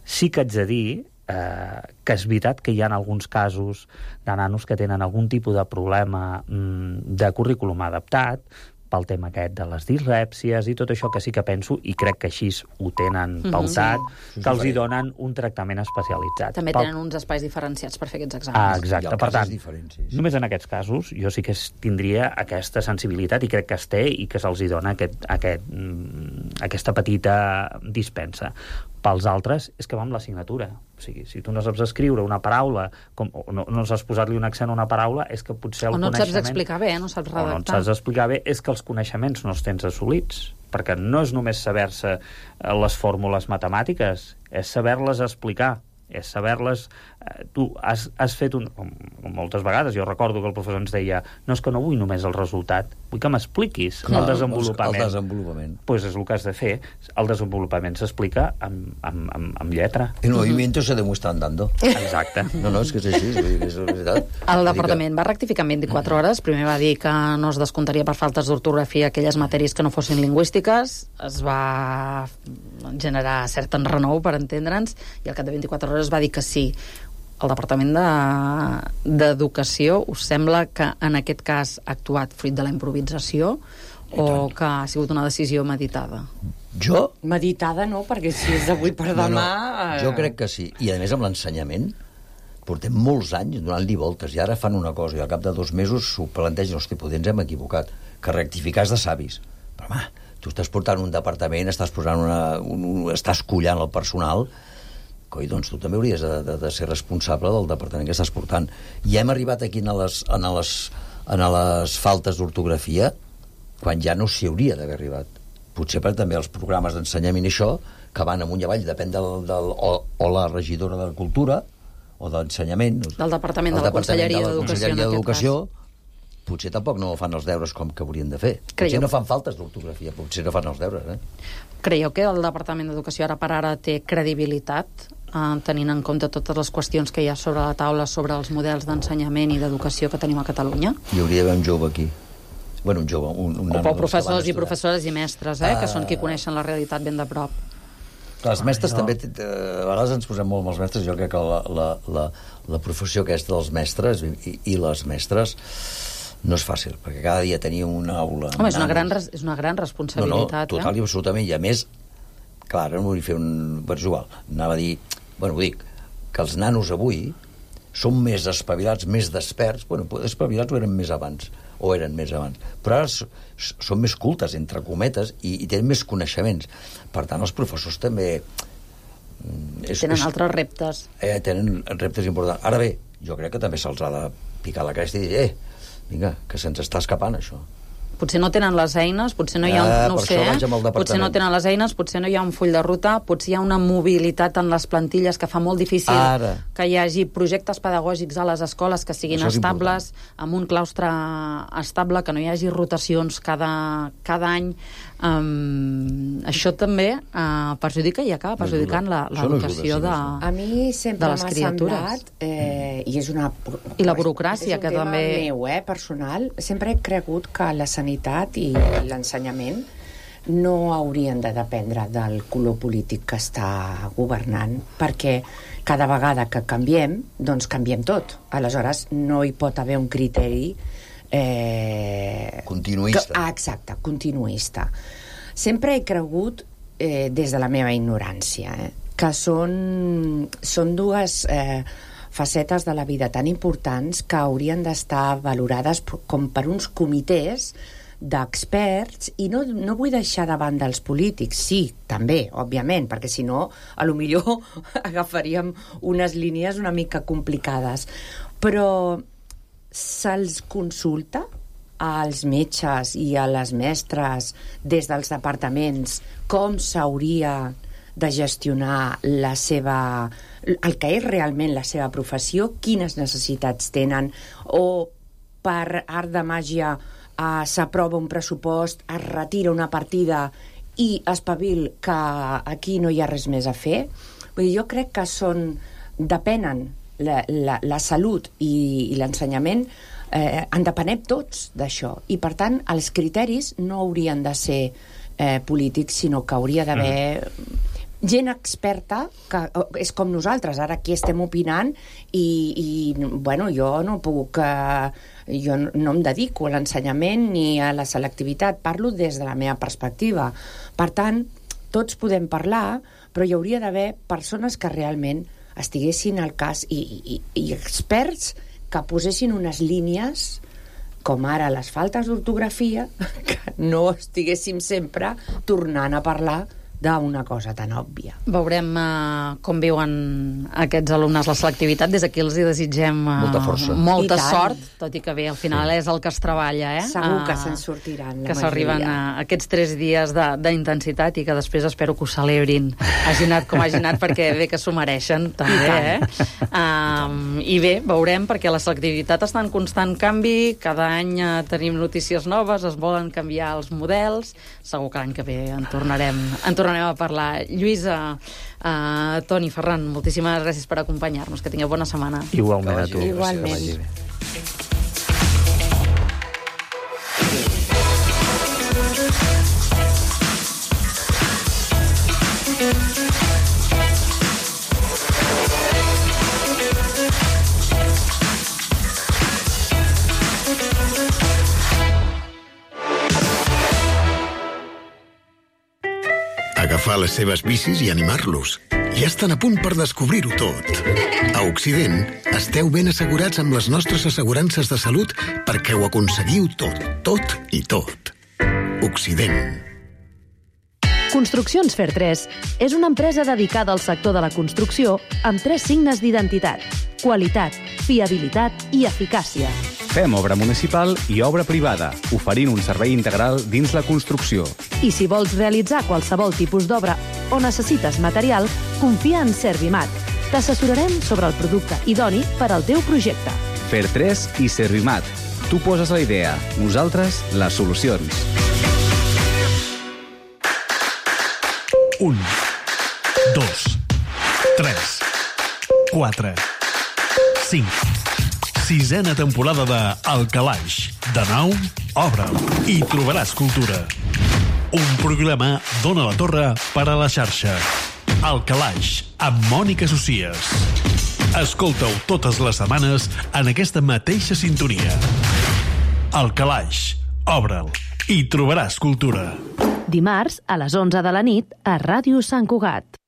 Sí que haig de dir eh, que és veritat que hi ha alguns casos de nanos que tenen algun tipus de problema mm, de currículum adaptat, pel tema aquest de les dislèpsies i tot això, que sí que penso, i crec que així ho tenen pautat, mm-hmm. que els hi donen un tractament especialitzat. També Pel... tenen uns espais diferenciats per fer aquests exàmens. Ah, exacte. Per tant, només en aquests casos jo sí que tindria aquesta sensibilitat, i crec que es té, i que se'ls hi dona aquest, aquest, aquesta petita dispensa. Pels altres és que va amb l'assignatura. O sigui, si tu no saps escriure una paraula, com, o no, no saps posar-li un accent a una paraula, és que potser el o no coneixement... et saps explicar bé, no saps redactar. O no et saps explicar bé, és que els coneixements no els tens assolits. Perquè no és només saber-se les fórmules matemàtiques, és saber-les explicar, és saber-les... Eh, tu has, has fet un... Com, com moltes vegades, jo recordo que el professor ens deia no és que no vull només el resultat, vull que m'expliquis el desenvolupament. El desenvolupament. Doncs pues és el que has de fer. El desenvolupament s'explica amb, amb, amb, amb lletra. El movimiento se demuestra andando. Exacte. No, no, és que és així, és, és veritat. El departament va rectificar en vint-i-quatre hores. Primer va dir que no es descomptaria per faltes d'ortografia aquelles matèries que no fossin lingüístiques. Es va generar cert enrenou, per entendre'ns, i al cap de vint-i-quatre hores va dir que sí. El Departament d'Educació, us sembla que en aquest cas ha actuat fruit de la improvisació o que ha sigut una decisió meditada? Jo? Meditada no, perquè si és d'avui per demà... No, no. Jo crec que sí. I a més amb l'ensenyament portem molts anys donant-li voltes i ara fan una cosa i al cap de dos mesos s'ho plantegen, hosti, potser ens hem equivocat, que rectificar és de savis. Però home, tu estàs portant un departament, estàs posant una, un, un, estàs collant el personal, coi, doncs tu també hauries de, de, de ser responsable del departament que estàs portant. I hem arribat aquí en les, en les, en les faltes d'ortografia quan ja no s'hi hauria d'haver arribat. Potser per també els programes d'ensenyament i això, que van amunt i avall, depèn del, del, o, o la regidora de Cultura o d'Ensenyament. Del Departament de la Conselleria d'Educació, en aquest cas. Potser tampoc no fan els deures com que haurien de fer. Potser Creieu... no fan faltes d'ortografia, potser no fan els deures, eh? Creieu que el Departament d'Educació ara per ara té credibilitat, eh, tenint en compte totes les qüestions que hi ha sobre la taula sobre els models d'ensenyament i d'educació que tenim a Catalunya? Hi hauria d'haver un jove aquí. Bueno, un jove, un, un o nano professors i professores i mestres, eh, uh... que són qui coneixen la realitat ben de prop. Els mestres jo... també, a vegades ens posem molt amb els mestres, jo crec que la, la, la, la professió aquesta dels mestres i, i les mestres no és fàcil, perquè cada dia tenir una aula... Home, és una, gran, és una gran responsabilitat. No, no, total eh? i absolutament, i a més, clar, no vull fer un... Però és igual, anava a dir... Bueno, ho dic, que els nanos avui són més espavilats, més desperts, bueno, espavilats ho eren més abans, o eren més abans, però ara són més cultes, entre cometes, i, i tenen més coneixements. Per tant, els professors també... És, tenen és, altres reptes. Eh, tenen reptes importants. Ara bé, jo crec que també se'ls ha de picar la cresta i dir, eh, vinga, que se'ns està escapant, això. Potser no tenen les eines, potser no hi ha un, ah, no ho sé, eh? potser no tenen les eines, potser no hi ha un full de ruta, potser hi ha una mobilitat en les plantilles que fa molt difícil Ara. que hi hagi projectes pedagògics a les escoles que siguin estables, amb un claustre estable, que no hi hagi rotacions cada, cada any. Um, això també uh, perjudica i acaba perjudicant l'educació de, a mi sempre m'ha semblat eh, i és una i la burocràcia que també meu, eh, personal, sempre he cregut que la sanitat i l'ensenyament no haurien de dependre del color polític que està governant, perquè cada vegada que canviem, doncs canviem tot. Aleshores no hi pot haver un criteri Eh, continuista. Que, ah, exacte, continuista. Sempre he cregut, eh, des de la meva ignorància, eh, que són, són dues eh, facetes de la vida tan importants que haurien d'estar valorades com per uns comitès d'experts, i no, no vull deixar de banda els polítics, sí, també, òbviament, perquè si no, a lo millor agafaríem unes línies una mica complicades, però se'ls consulta als metges i a les mestres des dels departaments com s'hauria de gestionar la seva, el que és realment la seva professió, quines necessitats tenen, o per art de màgia eh, s'aprova un pressupost, es retira una partida i espavil que aquí no hi ha res més a fer. Vull dir, jo crec que són, depenen la, la, la salut i, i l'ensenyament eh, en depenem tots d'això. I, per tant, els criteris no haurien de ser eh, polítics, sinó que hauria d'haver mm. gent experta, que és com nosaltres, ara aquí estem opinant i, i bueno, jo no puc... Eh, jo no em dedico a l'ensenyament ni a la selectivitat, parlo des de la meva perspectiva. Per tant, tots podem parlar, però hi hauria d'haver persones que realment estiguessin al cas i, i, i experts que posessin unes línies com ara les faltes d'ortografia, que no estiguéssim sempre tornant a parlar d'una cosa tan òbvia. Veurem uh, com viuen aquests alumnes la selectivitat. Des d'aquí els hi desitgem uh, molta força. Molta sort, tot i que bé, al final sí. és el que es treballa, eh? Segur que uh, se'n sortiran. Que s'arriben a aquests tres dies d'intensitat i que després espero que ho celebrin. Hagi anat com hagi anat, perquè bé que s'ho mereixen, també, eh? Um, I bé, veurem, perquè la selectivitat està en constant canvi, cada any uh, tenim notícies noves, es volen canviar els models, segur que l'any que ve en tornarem, en tornarem tornarem a parlar. Lluïsa, uh, Toni, Ferran, moltíssimes gràcies per acompanyar-nos. Que tingueu bona setmana. Igualment a tu. Igualment. Agafar les seves bicis i animar-los. Ja estan a punt per descobrir-ho tot. A Occident, esteu ben assegurats amb les nostres assegurances de salut perquè ho aconseguiu tot, tot i tot. Occident. Construccions Fer tres és una empresa dedicada al sector de la construcció amb tres signes d'identitat: qualitat, fiabilitat i eficàcia. Fem obra municipal i obra privada, oferint un servei integral dins la construcció. I si vols realitzar qualsevol tipus d'obra o necessites material, confia en Servimat. T'assessorarem sobre el producte idoni per al teu projecte. Fer tres i Servimat. Tu poses la idea, nosaltres les solucions. Un, dos, tres, quatre, cinc. Sisena temporada de El Calaix. De nou, obre'l i trobaràs cultura. Un programa d'Ona la Torre per a la xarxa. El Calaix, amb Mònica Socies. Escolta-ho totes les setmanes en aquesta mateixa sintonia. El Calaix, obre'l i trobaràs cultura. Dimarts, a les onze de la nit, a Ràdio Sant Cugat.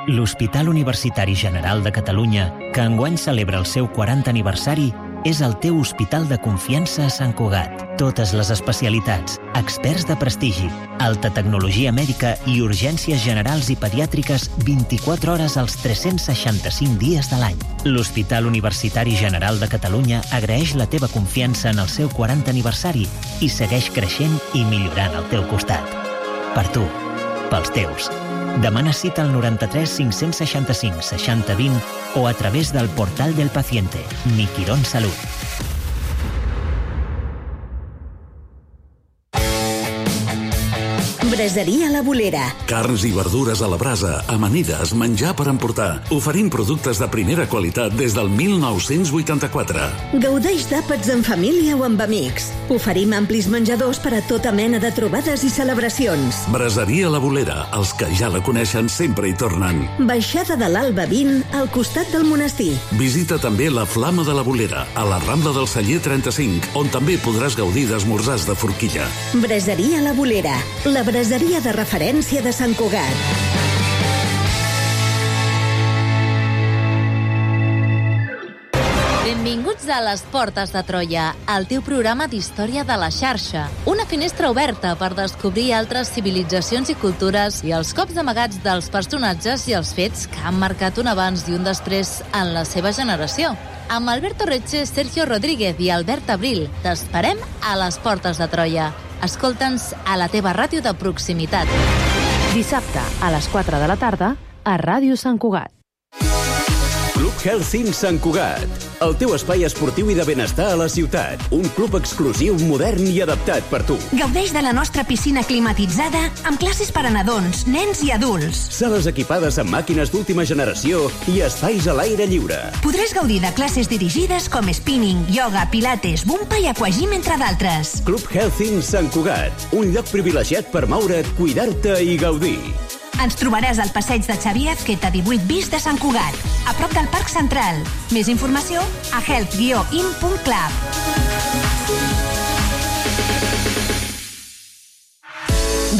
L'Hospital Universitari General de Catalunya, que enguany celebra el seu quaranta aniversari, és el teu hospital de confiança a Sant Cugat. Totes les especialitats, experts de prestigi, alta tecnologia mèdica i urgències generals i pediàtriques vint-i-quatre hores als tres-cents seixanta-cinc dies de l'any. L'Hospital Universitari General de Catalunya agraeix la teva confiança en el seu quaranta aniversari i segueix creixent i millorant al teu costat. Per tu, pels teus. Demana cita al noranta-tres cinc-cents seixanta-cinc seixanta vint o a través del portal del paciente. Mi Quirón Salut. Braseria La Bolera. Carns i verdures a la brasa, amanides, menjar per emportar. Oferim productes de primera qualitat des del mil nou-cents vuitanta-quatre. Gaudeix d'àpats en família o amb amics. Oferim amplis menjadors per a tota mena de trobades i celebracions. Braseria La Bolera. Els que ja la coneixen sempre hi tornen. Baixada de l'Alba vint, al costat del monestir. Visita també la Flama de la Bolera, a la Rambla del Celler trenta-cinc, on també podràs gaudir d'esmorzars de forquilla. Braseria La Bolera. La braseria de referència de Sant Cugat. Benvinguts a Les Portes de Troia, el teu programa d'història de la xarxa. Una finestra oberta per descobrir altres civilitzacions i cultures i els cops amagats dels personatges i els fets que han marcat un abans i un després en la seva generació. Amb Alberto Reche, Sergio Rodríguez i Albert Abril, t'esperem a Les Portes de Troia. Escolta'ns a la teva ràdio de proximitat. Dissabte, a les quatre de la tarda, a Ràdio Sant Cugat. Club Health Inn Sant Cugat, el teu espai esportiu i de benestar a la ciutat. Un club exclusiu, modern i adaptat per tu. Gaudeix de la nostra piscina climatitzada amb classes per a nadons, nens i adults. Sales equipades amb màquines d'última generació i espais a l'aire lliure. Podràs gaudir de classes dirigides com spinning, yoga, pilates, bumpa i aquagym, entre d'altres. Club Health Inn Sant Cugat, un lloc privilegiat per moure't, cuidar-te i gaudir. Ens trobaràs al passeig de Xavier Azqueta divuit bis de Sant Cugat, a prop del Parc Central. Més informació a health guió in punt club.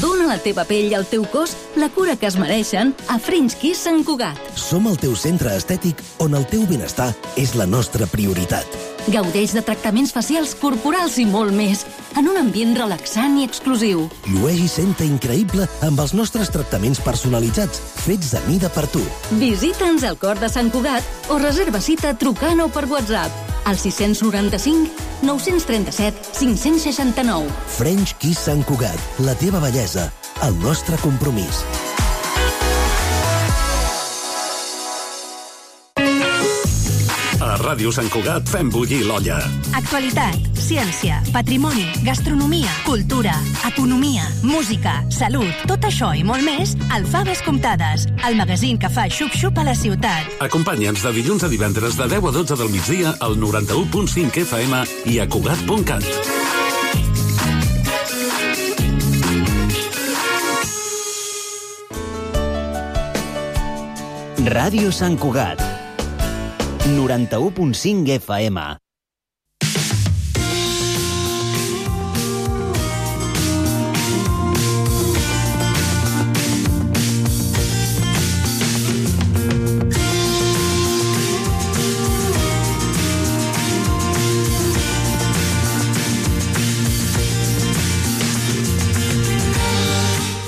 Dóna a la teva pell i al teu cos la cura que es mereixen a French Kiss Sant Cugat. Som el teu centre estètic on el teu benestar és la nostra prioritat. Gaudeix de tractaments facials, corporals i molt més, en un ambient relaxant i exclusiu. Llueix i senta increïble amb els nostres tractaments personalitzats, fets a mida per tu. Visita'ns al cor de Sant Cugat o reserva cita trucant o per WhatsApp al sis noranta-cinc nou trenta-set cinc seixanta-nou. French Kiss Sant Cugat, la teva bellesa, el nostre compromís. A Ràdio Sant Cugat fem bullir l'olla. Actualitat, ciència, patrimoni, gastronomia, cultura, economia, música, salut, tot això i molt més al Faves Comptades, el magazín que fa xup-xup a la ciutat. Acompanya'ns de dilluns a divendres de deu a dotze del migdia al noranta-u punt cinc F M i a Cugat punt cat. Ràdio Sant Cugat, noranta-u punt cinc F M.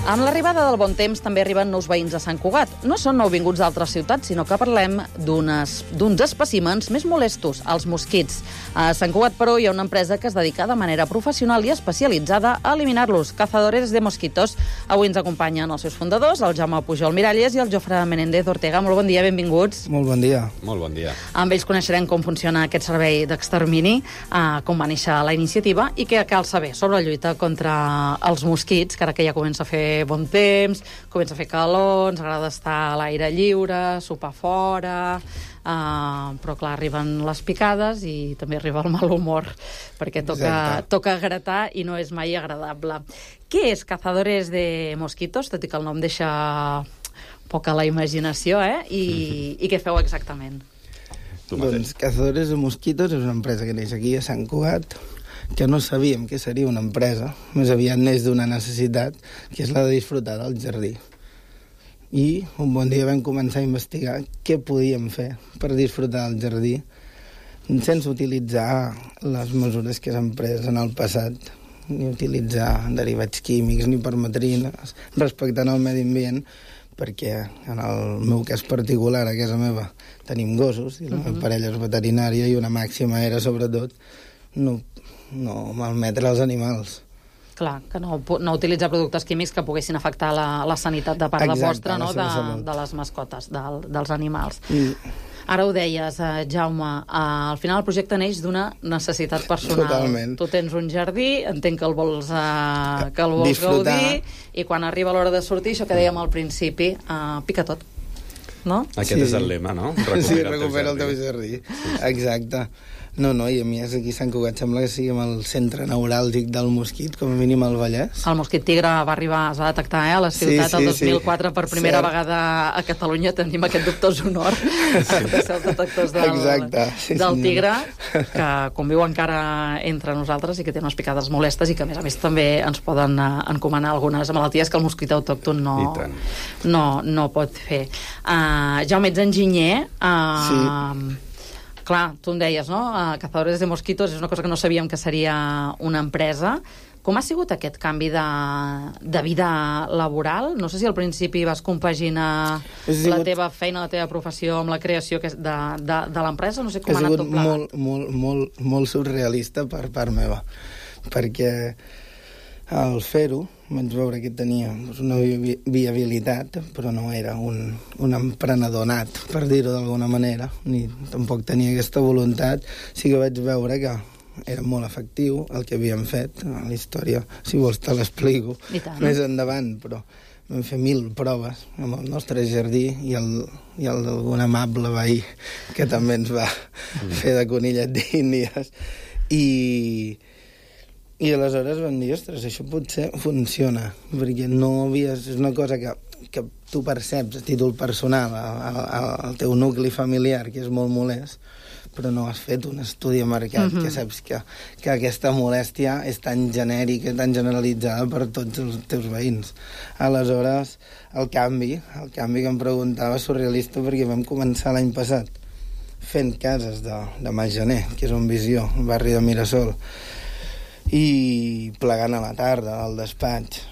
Amb l'arribada del bon temps també arriben nous veïns a Sant Cugat. No són nouvinguts d'altres ciutats, sinó que parlem d'unes, d'uns espècimens més molestos, els mosquits. A Sant Cugat, però, hi ha una empresa que es dedica de manera professional i especialitzada a eliminar-los, Cazadores de Mosquitos. Avui ens acompanyen els seus fundadors, el Jaume Pujol Miralles i el Jofre Menéndez Ortega. Molt bon dia, benvinguts. Molt bon dia. Molt bon dia. Amb ells coneixerem com funciona aquest servei d'extermini, eh, com va néixer la iniciativa i què cal saber sobre la lluita contra els mosquits, que ara que ja comença a fer bon temps, comença a fer calor, ens agrada estar a l'aire lliure, sopar fora, uh, però clar, arriben les picades i també arriba el mal humor, perquè toca, toca gratar i no és mai agradable. Què és Cazadores de Mosquitos? Tot i que el nom deixa poca la imaginació, eh? I, i què feu exactament? Doncs Cazadores de Mosquitos és una empresa que neix aquí a Sant Cugat, que no sabíem que seria una empresa, més aviat neix d'una necessitat, que és la de disfrutar del jardí. I un bon dia vam començar a investigar què podíem fer per disfrutar del jardí sense utilitzar les mesures que s'han pres en el passat, ni utilitzar derivats químics ni permetrines, respectant el medi ambient, perquè en el meu cas particular, a casa meva, tenim gossos, i la meva parella és veterinària, i una màxima era, sobretot, no no malmetre els animals. Clar, que no, no utilitzar productes químics que poguessin afectar la, la sanitat de part Exacte, de vostra, no? de, de les mascotes, de, dels animals. Mm. Ara ho deies, eh, Jaume, eh, al final el projecte neix d'una necessitat personal. Totalment. Tu tens un jardí, entenc que el vols, eh, que el vols Disfrutar. gaudir, i quan arriba l'hora de sortir, això que dèiem al principi, eh, pica tot. No? Aquest sí. és el lema, no? Recupera sí, recupera el teu jardí. El teu jardí. Sí. Exacte. No, no, i a mi aquí a Sant Cugat sembla que siguem el centre neuràlgic del mosquit, com a mínim al Vallès. El mosquit tigre va arribar, es va detectar eh, a la ciutat sí, sí, el dos mil quatre sí. per primera Cert. vegada a Catalunya. Tenim aquest dubtós honor sí. de ser els detectors del, Exacte, sí, del tigre, que conviu encara entre nosaltres i que té unes picades molestes i que, a més a més, també ens poden uh, encomanar algunes malalties que el mosquit autòcton no, no, no pot fer. Uh, Jaume, ets enginyer. Uh, sí. Clar, tu em deies, no? Uh, Cazadores de Mosquitos és una cosa que no sabíem que seria una empresa. Com ha sigut aquest canvi de, de vida laboral? No sé si al principi vas compaginar sigut... la teva feina, la teva professió amb la creació de, de, de l'empresa. No sé com ha anat tot plegat. Ha sigut molt, molt, molt, molt surrealista per part meva, perquè al fer-ho vaig veure que tenia doncs, una vi viabilitat, però no era un, un emprenedor nat, per dir-ho d'alguna manera, ni tampoc tenia aquesta voluntat. Sí que vaig veure que era molt efectiu el que havíem fet. La història, si vols, te l'explico més endavant, però vam fer mil proves amb el nostre jardí i el, i el d'algun amable veí que també ens va mm. fer de conillet d'índies. I, I aleshores vam dir, ostres, això potser funciona, perquè no havies... És una cosa que, que tu perceps a títol personal, al teu nucli familiar, que és molt molest, però no has fet un estudi de mercat, uh-huh. que saps que, que aquesta molèstia és tan genèrica, tan generalitzada per tots els teus veïns. Aleshores, el canvi, el canvi que em preguntava és surrealista, perquè vam començar l'any passat fent cases de, de Masgener, que és un Visió, un barri de Mirasol, i plegant a la tarda al despatx,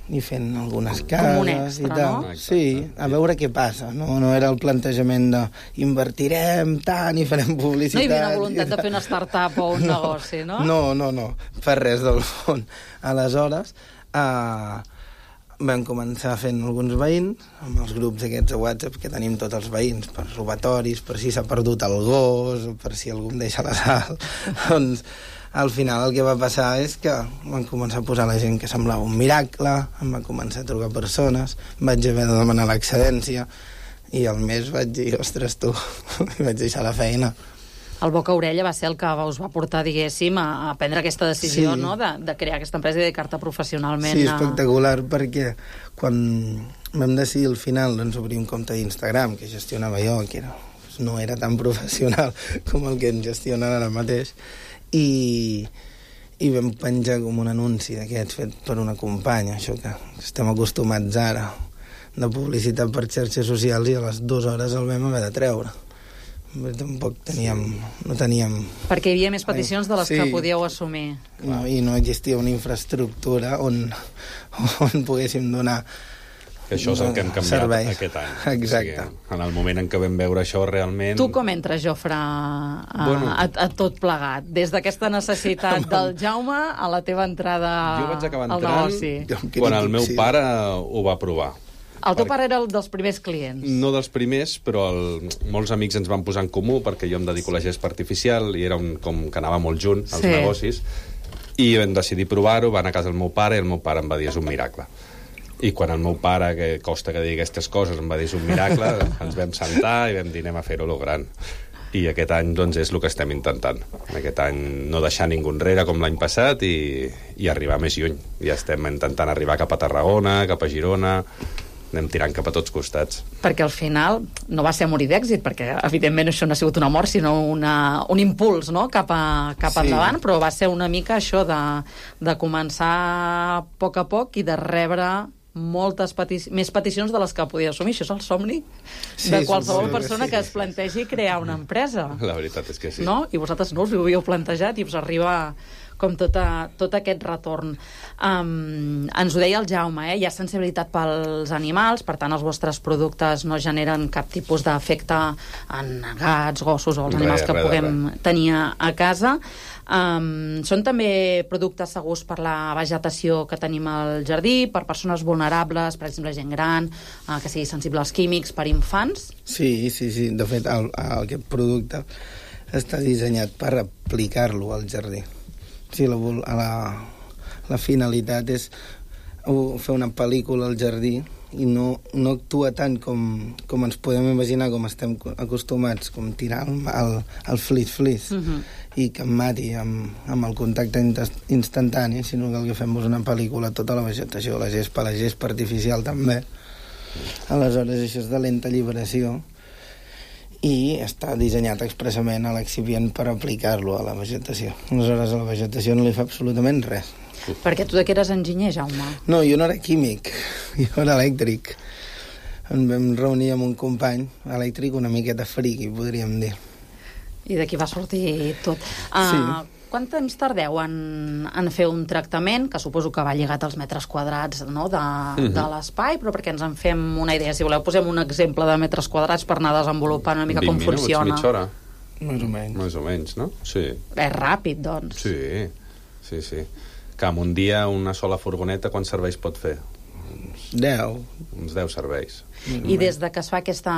i fent algunes cases un extra, i tal. No? Sí, a veure què passa. No, no era el plantejament de invertirem tant i farem publicitat. No hi havia una voluntat de fer una startup o un negoci, no? No, no, no, per res del fons. Aleshores, eh, vam començar fent alguns veïns, amb els grups aquests de WhatsApp que tenim tots els veïns, per robatoris, per si s'ha perdut el gos, per si algú em deixa la sal. Doncs al final el que va passar és que van començar a posar la gent que semblava un miracle, em van començar a trucar persones, vaig haver de demanar l'excedència i al mes vaig dir, ostres, tu, vaig deixar la feina. El boca-orella va ser el que us va portar, diguéssim, a, a prendre aquesta decisió, sí. no?, de, de crear aquesta empresa i dedicar-te professionalment. Sí, a... espectacular, perquè quan vam decidir al final doncs, obrir un compte d'Instagram que gestionava jo, que era, no era tan professional com el que ens gestionen ara mateix, i, i vam penjar com un anunci d'aquests fet per una companya, això que estem acostumats ara, de publicitat per xarxes socials, i a les dues hores el vam haver de treure. Tampoc teníem... no teníem... Perquè hi havia més peticions de les sí. que podíeu assumir. No, i no existia una infraestructura on, on poguéssim donar... Això és el que hem canviat servei. Aquest any. Exacte. O sigui, en el moment en què vam veure això realment... Tu com entres, Jofre, a, bueno, a, a tot plegat? Des d'aquesta necessitat del Jaume a la teva entrada jo vaig acabar al negoci? Quan el meu pare ho va provar. El teu pare era el dels primers clients? No dels primers, però el, molts amics ens van posar en comú, perquè jo em dedico a la gespa artificial i era un, com que anava molt junt als sí. negocis, i vam decidir provar-ho, van a casa del meu pare i el meu pare em va dir, és un miracle. I quan el meu pare, que costa que digui aquestes coses, em va dir, és un miracle, ens vam sentar i vam dir, anem a fer-ho lo gran. I aquest any, doncs, és el que estem intentant. Aquest any no deixar ningú enrere com l'any passat i, i arribar més lluny. Ja estem intentant arribar cap a Tarragona, cap a Girona, anem tirant cap a tots costats. Perquè al final no va ser a morir d'èxit, perquè evidentment això no ha sigut una mort, sinó una, un impuls, no?, cap, a, cap sí. endavant, però va ser una mica això de, de començar a poc a poc i de rebre moltes petici més peticions de les que podia assumir. Això és el somni sí, de qualsevol persona sí. que es plantegi crear una empresa. La veritat és que sí. No? I vosaltres no us ho havíeu plantejat i us arriba com tot, a, tot aquest retorn. Um, ens ho deia el Jaume, eh? Hi ha sensibilitat pels animals, per tant els vostres productes no generen cap tipus d'efecte en gats, gossos o els animals re, que re, puguem re. tenir a casa. Um, són també productes segurs per la vegetació que tenim al jardí, per persones vulnerables, per exemple gent gran, uh, que sigui sensible als químics, per infants? Sí, sí, sí. De fet, el, el, aquest producte està dissenyat per aplicar-lo al jardí. Sí, la, la, la finalitat és fer una pel·lícula al jardí i no, no actua tant com, com ens podem imaginar, com estem acostumats, com tirar el, el, el flis-flis uh-huh. i que em mati amb, amb el contacte instantani, sinó que el que fem és una pel·lícula, tota la vegetació, la gespa, la gespa artificial també. Aleshores, això és de lenta alliberació i està dissenyat expressament a l'excipient per aplicar-lo a la vegetació. Aleshores, a la vegetació no li fa absolutament res. Perquè tu de què eres enginyer, Jaume? No, jo no era químic, jo era elèctric. Em vam reunir amb un company elèctric una miqueta friqui, podríem dir. I d'aquí va sortir tot. Uh, sí. Quant temps tardeu en, en fer un tractament, que suposo que va lligat als metres quadrats, no?, de, uh-huh. de l'espai, però perquè ens en fem una idea. Si voleu, posem un exemple de metres quadrats per anar desenvolupant una mica com minuts, funciona. mitja hora. Més o menys. Més o menys, no? Sí. És ràpid, doncs. Sí, sí, sí. Que en un dia una sola furgoneta quants serveis pot fer? deu. Uns deu serveis. I des de que es fa aquesta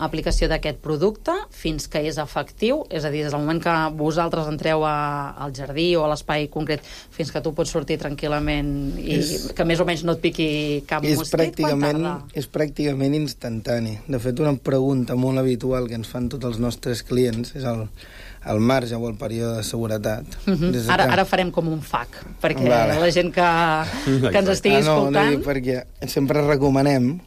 aplicació d'aquest producte fins que és efectiu, és a dir, des del moment que vosaltres entreu a, al jardí o a l'espai concret fins que tu pots sortir tranquil·lament i és, que més o menys no et piqui cap és mosquit, quan tarda? És pràcticament instantani. De fet, una pregunta molt habitual que ens fan tots els nostres clients és el, el marge o el període de seguretat. Uh -huh. Des de ara, que... ara farem com un F A Q, perquè vale. la gent que, que ens estigui ah, no, escoltant... No, no, perquè sempre recomanem.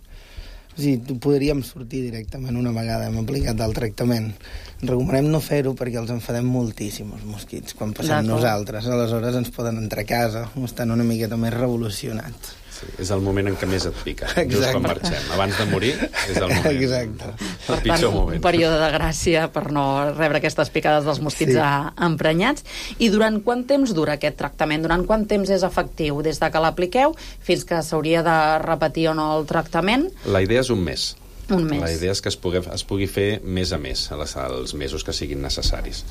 O sigui, podríem sortir directament una vegada hem aplicat el tractament. Recomanem no fer-ho perquè els enfadem moltíssim els mosquits quan passem nosaltres. Aleshores ens poden entrar a casa o estan una miqueta més revolucionats. Sí, és el moment en què més et pica, just quan marxem. Abans de morir és el moment. Exacte. El pitjor moment. Un període de gràcia per no rebre aquestes picades dels mosquits sí. emprenyats. I durant quant temps dura aquest tractament? Durant quant temps és efectiu? Des de que l'apliqueu fins que s'hauria de repetir o no el tractament? La idea és un mes. Un mes. La idea és que es pugui, es pugui fer mes a mes, als mesos que siguin necessaris.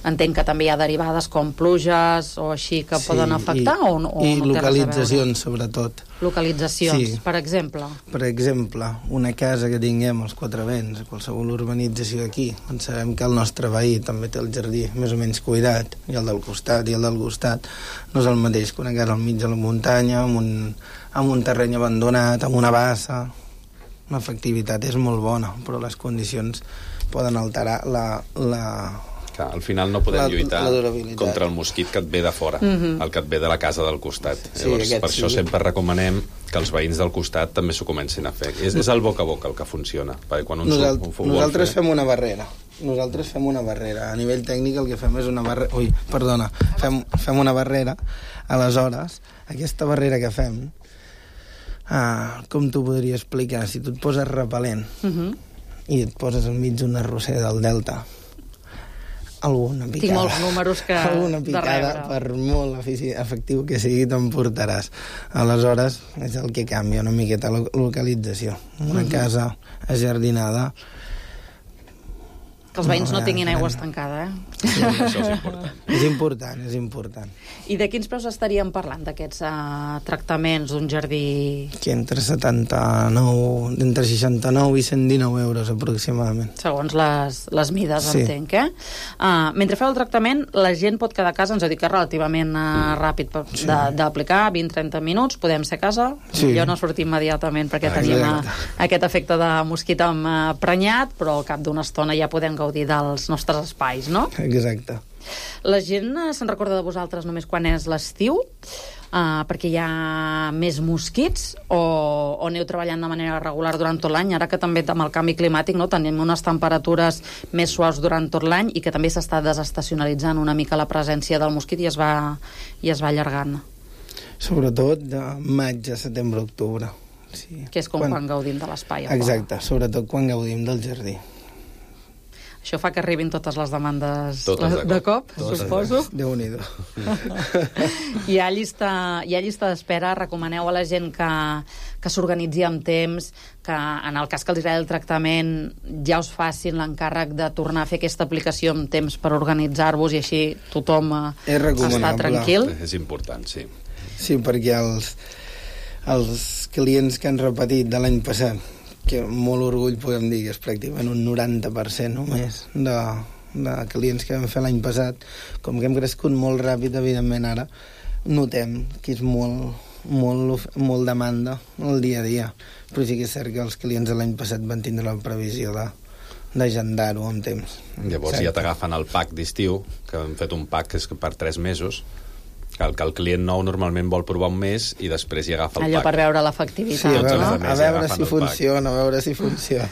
Entenc que també hi ha derivades com pluges o així que sí, poden afectar i, o, o i no té localitzacions, sobretot. Localitzacions, sí. per exemple? Per exemple, una casa que tinguem als Quatre Vents, a qualsevol urbanització d'aquí, on sabem que el nostre veí també té el jardí més o menys cuidat, i el del costat, i el del costat, no és el mateix que una casa al mig de la muntanya, amb un, amb un terreny abandonat, amb una bassa. L'efectivitat és molt bona, però les condicions poden alterar la... la al final no podem la, lluitar la contra el mosquit que et ve de fora, mm-hmm. el que et ve de la casa del costat. Sí, Llavors, per sí. això sempre recomanem que els veïns del costat també s'ho comencin a fer. És, és el boca a boca el que funciona. Perquè quan un Nosalt ho, ho nosaltres fer... fem una barrera. Nosaltres fem una barrera. A nivell tècnic el que fem és una barrera... Ui, perdona. Fem, fem una barrera. Aleshores, aquesta barrera que fem, ah, com t'ho podria explicar? Si tu et poses repel·lent mm-hmm. i et poses al mig d'una roser del delta, alguna picada... Tinc molts números que alguna picada, per molt efectiu que sigui, t'emportaràs. Aleshores, és el que canvia una miqueta la localització. Una mm-hmm. casa ajardinada... Que els veïns no, no tinguin aigua estancada, eh? Sí, això és important. És important, és important. I de quins preus estaríem parlant, d'aquests uh, tractaments d'un jardí? Que entre setanta-nou, entre seixanta-nou i cent dinou euros, aproximadament. Segons les, les mides, sí. entenc, eh? Uh, mentre feu el tractament, la gent pot quedar a casa, ens heu dit que és relativament uh, ràpid sí. d'aplicar, vint a trenta minuts, podem ser a casa, sí. jo no sortir immediatament perquè Exacte. tenim uh, aquest efecte de mosquit emprenyat, però al cap d'una estona ja podem gaudir dels nostres espais, no? Exacte. La gent se'n recorda de vosaltres només quan és l'estiu, uh, perquè hi ha més mosquits, o, o aneu treballant de manera regular durant tot l'any, ara que també amb el canvi climàtic no, tenim unes temperatures més suaus durant tot l'any i que també s'està desestacionalitzant una mica la presència del mosquit i es va, i es va allargant. Sobretot de maig a setembre-octubre. Sí. Que és com quan, quan gaudim de l'espai. Exacte, sobretot quan gaudim del jardí. Això fa que arribin totes les demandes totes de cop, de cop suposo. Déu-n'hi-do. Hi ha llista, hi ha llista d'espera. Recomaneu a la gent que, que s'organitzi amb temps, que en el cas que els agradi el tractament ja us facin l'encàrrec de tornar a fer aquesta aplicació amb temps per organitzar-vos i així tothom està tranquil. És important, sí. Sí, perquè els, els clients que han repetit de l'any passat, que amb molt orgull podem dir que és pràcticament un noranta per cent només de, de clients que vam fer l'any passat, com que hem crescut molt ràpid, evidentment ara notem que és molt, molt, molt demanda el dia a dia, però sí que és cert que els clients de l'any passat van tindre la previsió de d'agendar-ho amb temps. Llavors Exacte. Ja t'agafen el pack d'estiu, que hem fet un pack que és per tres mesos, que el, que el client nou normalment vol provar un mes i després hi agafa el Allò pack. Per veure l'efectivitat. Sí, a veure, no? a veure si funciona, a veure si funciona.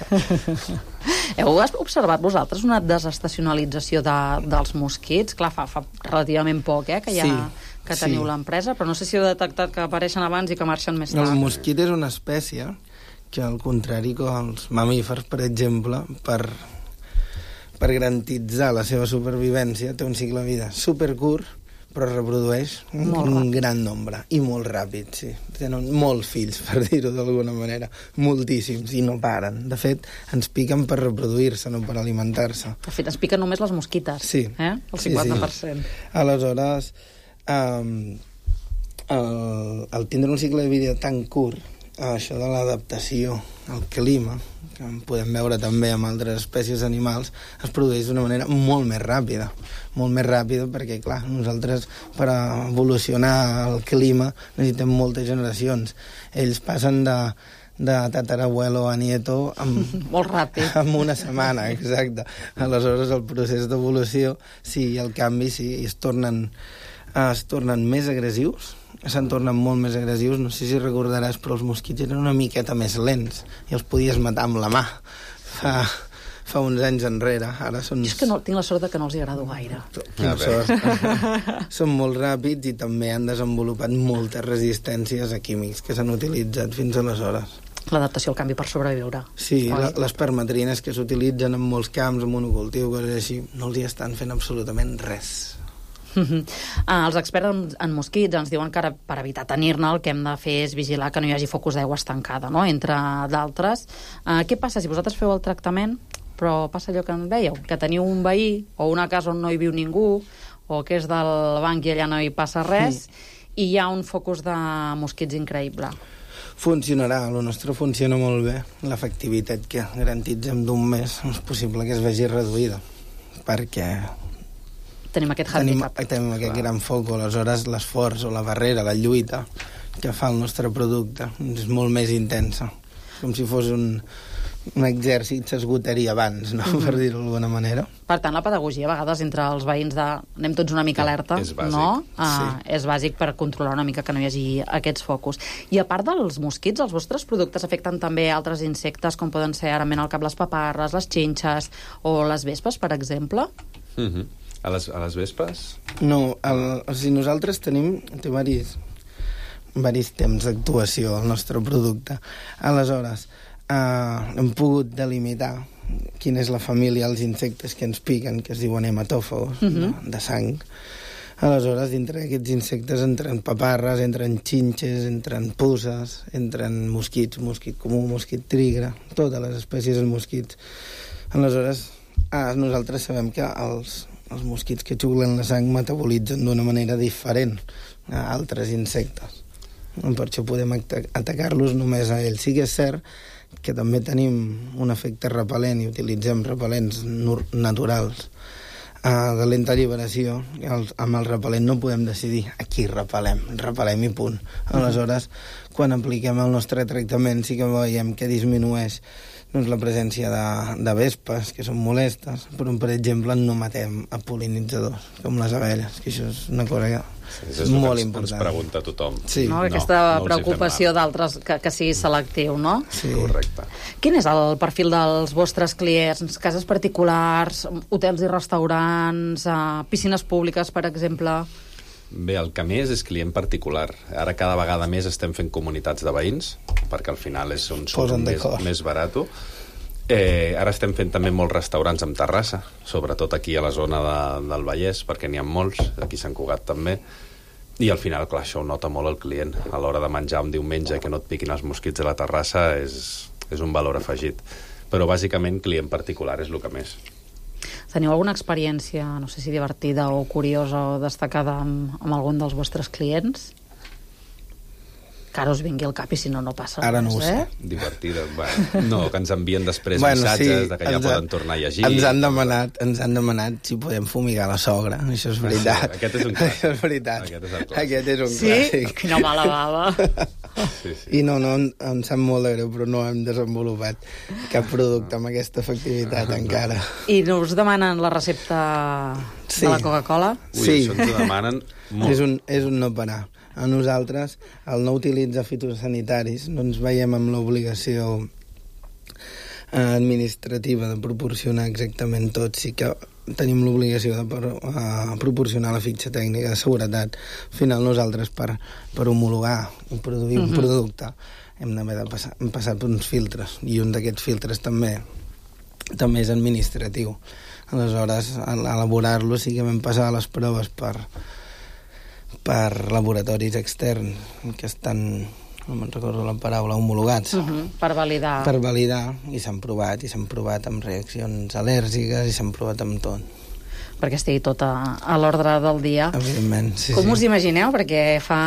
Heu observat vosaltres una desestacionalització de, dels mosquits? Clar, fa, fa relativament poc, eh, que ja... Sí. que teniu sí. l'empresa, però no sé si heu detectat que apareixen abans i que marxen més tard. El mosquit és una espècie que, al contrari que els mamífers, per exemple, per, per garantitzar la seva supervivència, té un cicle de vida supercurt, però reprodueix un, un gran nombre, i molt ràpid, sí. Tenen molts fills, per dir-ho d'alguna manera, moltíssims, i no paren. De fet, ens piquen per reproduir-se, no per alimentar-se. De fet, ens piquen només les mosquites, sí. eh? El cinquanta per cent. Sí, sí. Aleshores, um, el, el tindre un cicle de vida tan curt, això de l'adaptació al clima, que podem veure també amb altres espècies animals, es produeix d'una manera molt més ràpida. Molt més ràpida perquè, clar, nosaltres per evolucionar el clima necessitem moltes generacions. Ells passen de de tatarabuelo a nieto amb, molt ràpid. Amb una setmana, exacte. Aleshores, el procés d'evolució, sí, el canvi, sí, i es tornen, es tornen més agressius, se'n tornen molt més agressius. No sé si recordaràs, però els mosquits eren una miqueta més lents i els podies matar amb la mà fa, fa uns anys enrere. Ara són... Jo és que no, tinc la sort de que no els hi agrado gaire. Quina sort. Són molt ràpids i també han desenvolupat moltes resistències a químics que s'han utilitzat fins aleshores. L'adaptació al canvi per sobreviure. Sí, la, les permetrines que s'utilitzen en molts camps, en monocultiu, coses així, no els hi estan fent absolutament res. Uh-huh. Ah, els experts en, en mosquits ens diuen que ara, per evitar tenir-ne, el que hem de fer és vigilar que no hi hagi focus d'aigua estancada, no?, entre d'altres. Uh, què passa si vosaltres feu el tractament, però passa allò que en veieu, que teniu un veí o una casa on no hi viu ningú, o que és del banc i allà no hi passa res, mm. i hi ha un focus de mosquits increïble? Funcionarà, el nostre funciona molt bé. L'efectivitat que garantitzem d'un mes és possible que es vegi reduïda, perquè tenim aquest handicap. Tenim, tenim aquest Clar. gran foc, aleshores l'esforç o la barrera, la lluita que fa el nostre producte és molt més intensa. Com si fos un, un exèrcit s'esgotaria abans, no? Mm-hmm. Per dir-ho d'alguna manera. Per tant, la pedagogia, a vegades, entre els veïns de... anem tots una mica alerta, és bàsic. No? Uh, sí. És bàsic per controlar una mica que no hi hagi aquests focus. I a part dels mosquits, els vostres productes afecten també altres insectes, com poden ser, ara men al cap, les paparres, les xinxes o les vespes, per exemple? Mm-hmm. A les, a les vespes? No, el, o sigui, nosaltres tenim... Té varis, varis temps d'actuació al nostre producte. Aleshores, eh, hem pogut delimitar quina és la família dels insectes que ens piquen, que es diuen hematòfagos, uh-huh. de, de sang. Aleshores, dintre d'aquests insectes entren paparres, entren xinxes, entren puces, entren mosquits, mosquit comú, mosquit tigre, totes les espècies de mosquits. Aleshores, ah, nosaltres sabem que els, els mosquits que xuclen la sang metabolitzen d'una manera diferent a altres insectes. Per això podem atacar-los només a ells. Sí que és cert que també tenim un efecte repel·lent i utilitzem repel·lents naturals uh, de lenta alliberació. El, amb el repel·lent no podem decidir a qui repel·lem, repel·lem i punt. Aleshores, quan apliquem el nostre tractament sí que veiem que disminueix doncs, la presència de, de vespes, que són molestes, però, per exemple, no matem a pol·linitzadors, com les abelles, que això és una cosa que sí, és molt ens, important. Ens pregunta tothom. Sí. No, aquesta no, no preocupació d'altres, que, que sigui selectiu, no? Sí. Correcte. Quin és el perfil dels vostres clients? Cases particulars, hotels i restaurants, eh, piscines públiques, per exemple? Bé, el que més és client particular. Ara cada vegada més estem fent comunitats de veïns, perquè al final és on surt més, més barat. Eh, ara estem fent també molts restaurants amb terrassa, sobretot aquí a la zona de, del Vallès, perquè n'hi ha molts, aquí a Sant Cugat també, i al final, clar, això ho nota molt el client. A l'hora de menjar un diumenge que no et piquin els mosquits a la terrassa és, és un valor afegit. Però bàsicament client particular és el que més. Teniu alguna experiència, no sé si divertida o curiosa o destacada amb, amb algun dels vostres clients? Que ara us vingui al cap i si no, no passa ara res, no ho sé. Eh? Divertida. Bueno, no, que ens envien després bueno, missatges sí, de que ja ens poden ha, tornar a llegir. Ens han demanat, ens han demanat si podem fumigar la sogra. Això és veritat. Sí, aquest és un clàssic. Això és veritat. Aquest és el clàssic. Aquest és un sí? clàssic. Quina mala bava. Sí, sí. I no, no, em, em sap molt de greu, però no hem desenvolupat cap producte amb aquesta efectivitat encara. I no us demanen la recepta sí. de la Coca-Cola? Ui, sí. això ens ho demanen molt. És un, és un no parar. A nosaltres, al no utilitzar fitosanitaris, no ens veiem amb l'obligació administrativa de proporcionar exactament tot. Sí que tenim l'obligació de per, uh, proporcionar la fitxa tècnica de seguretat. Al final, nosaltres, per, per homologar i produir uh-huh. un producte, hem d'haver de passar, hem passat per uns filtres, i un d'aquests filtres també també és administratiu. Aleshores, al elaborar-lo sí que vam passar les proves per per laboratoris externs que estan, no me'n recordo la paraula, homologats. Uh-huh, per validar. Per validar, i s'han provat, i s'han provat amb reaccions al·lèrgiques, i s'han provat amb tot. perquè estigui tot a, a l'ordre del dia. Evidentment, sí, Com sí. us imagineu? Perquè fa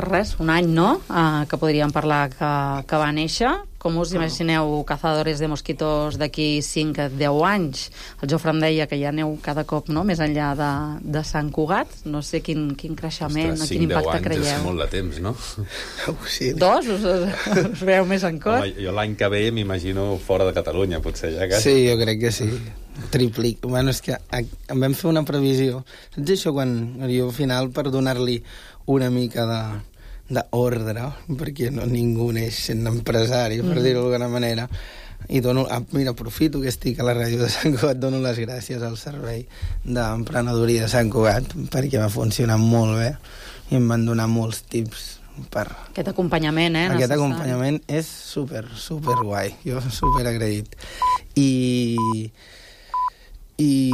res, un any, no?, uh, que podríem parlar que, que va néixer. Com us imagineu Cazadores de Mosquitos d'aquí cinc a deu anys? El Jofre em deia que ja aneu cada cop, no?, més enllà de, de Sant Cugat. No sé quin, quin creixement, Ostres, o quin impacte creieu. cinc deu anys és molt de temps, no? Sí. Dos? Us, us veu més en cor? Home, jo l'any que ve m'imagino fora de Catalunya, potser ja que... Sí, jo crec que sí. Triplic. Bueno, és que em vam fer una previsió. Saps això quan jo al final, per donar-li una mica de d'ordre, perquè no, ningú neix sent empresari, per Mm. dir-ho d'alguna manera, i dono, ah, mira, aprofito que estic a la ràdio de Sant Cugat, dono les gràcies al servei d'emprenedoria de Sant Cugat, perquè va funcionar molt bé i em van donar molts tips per... Aquest acompanyament, eh? Aquest necessari. acompanyament és super, super guai. Jo super agraït. I... i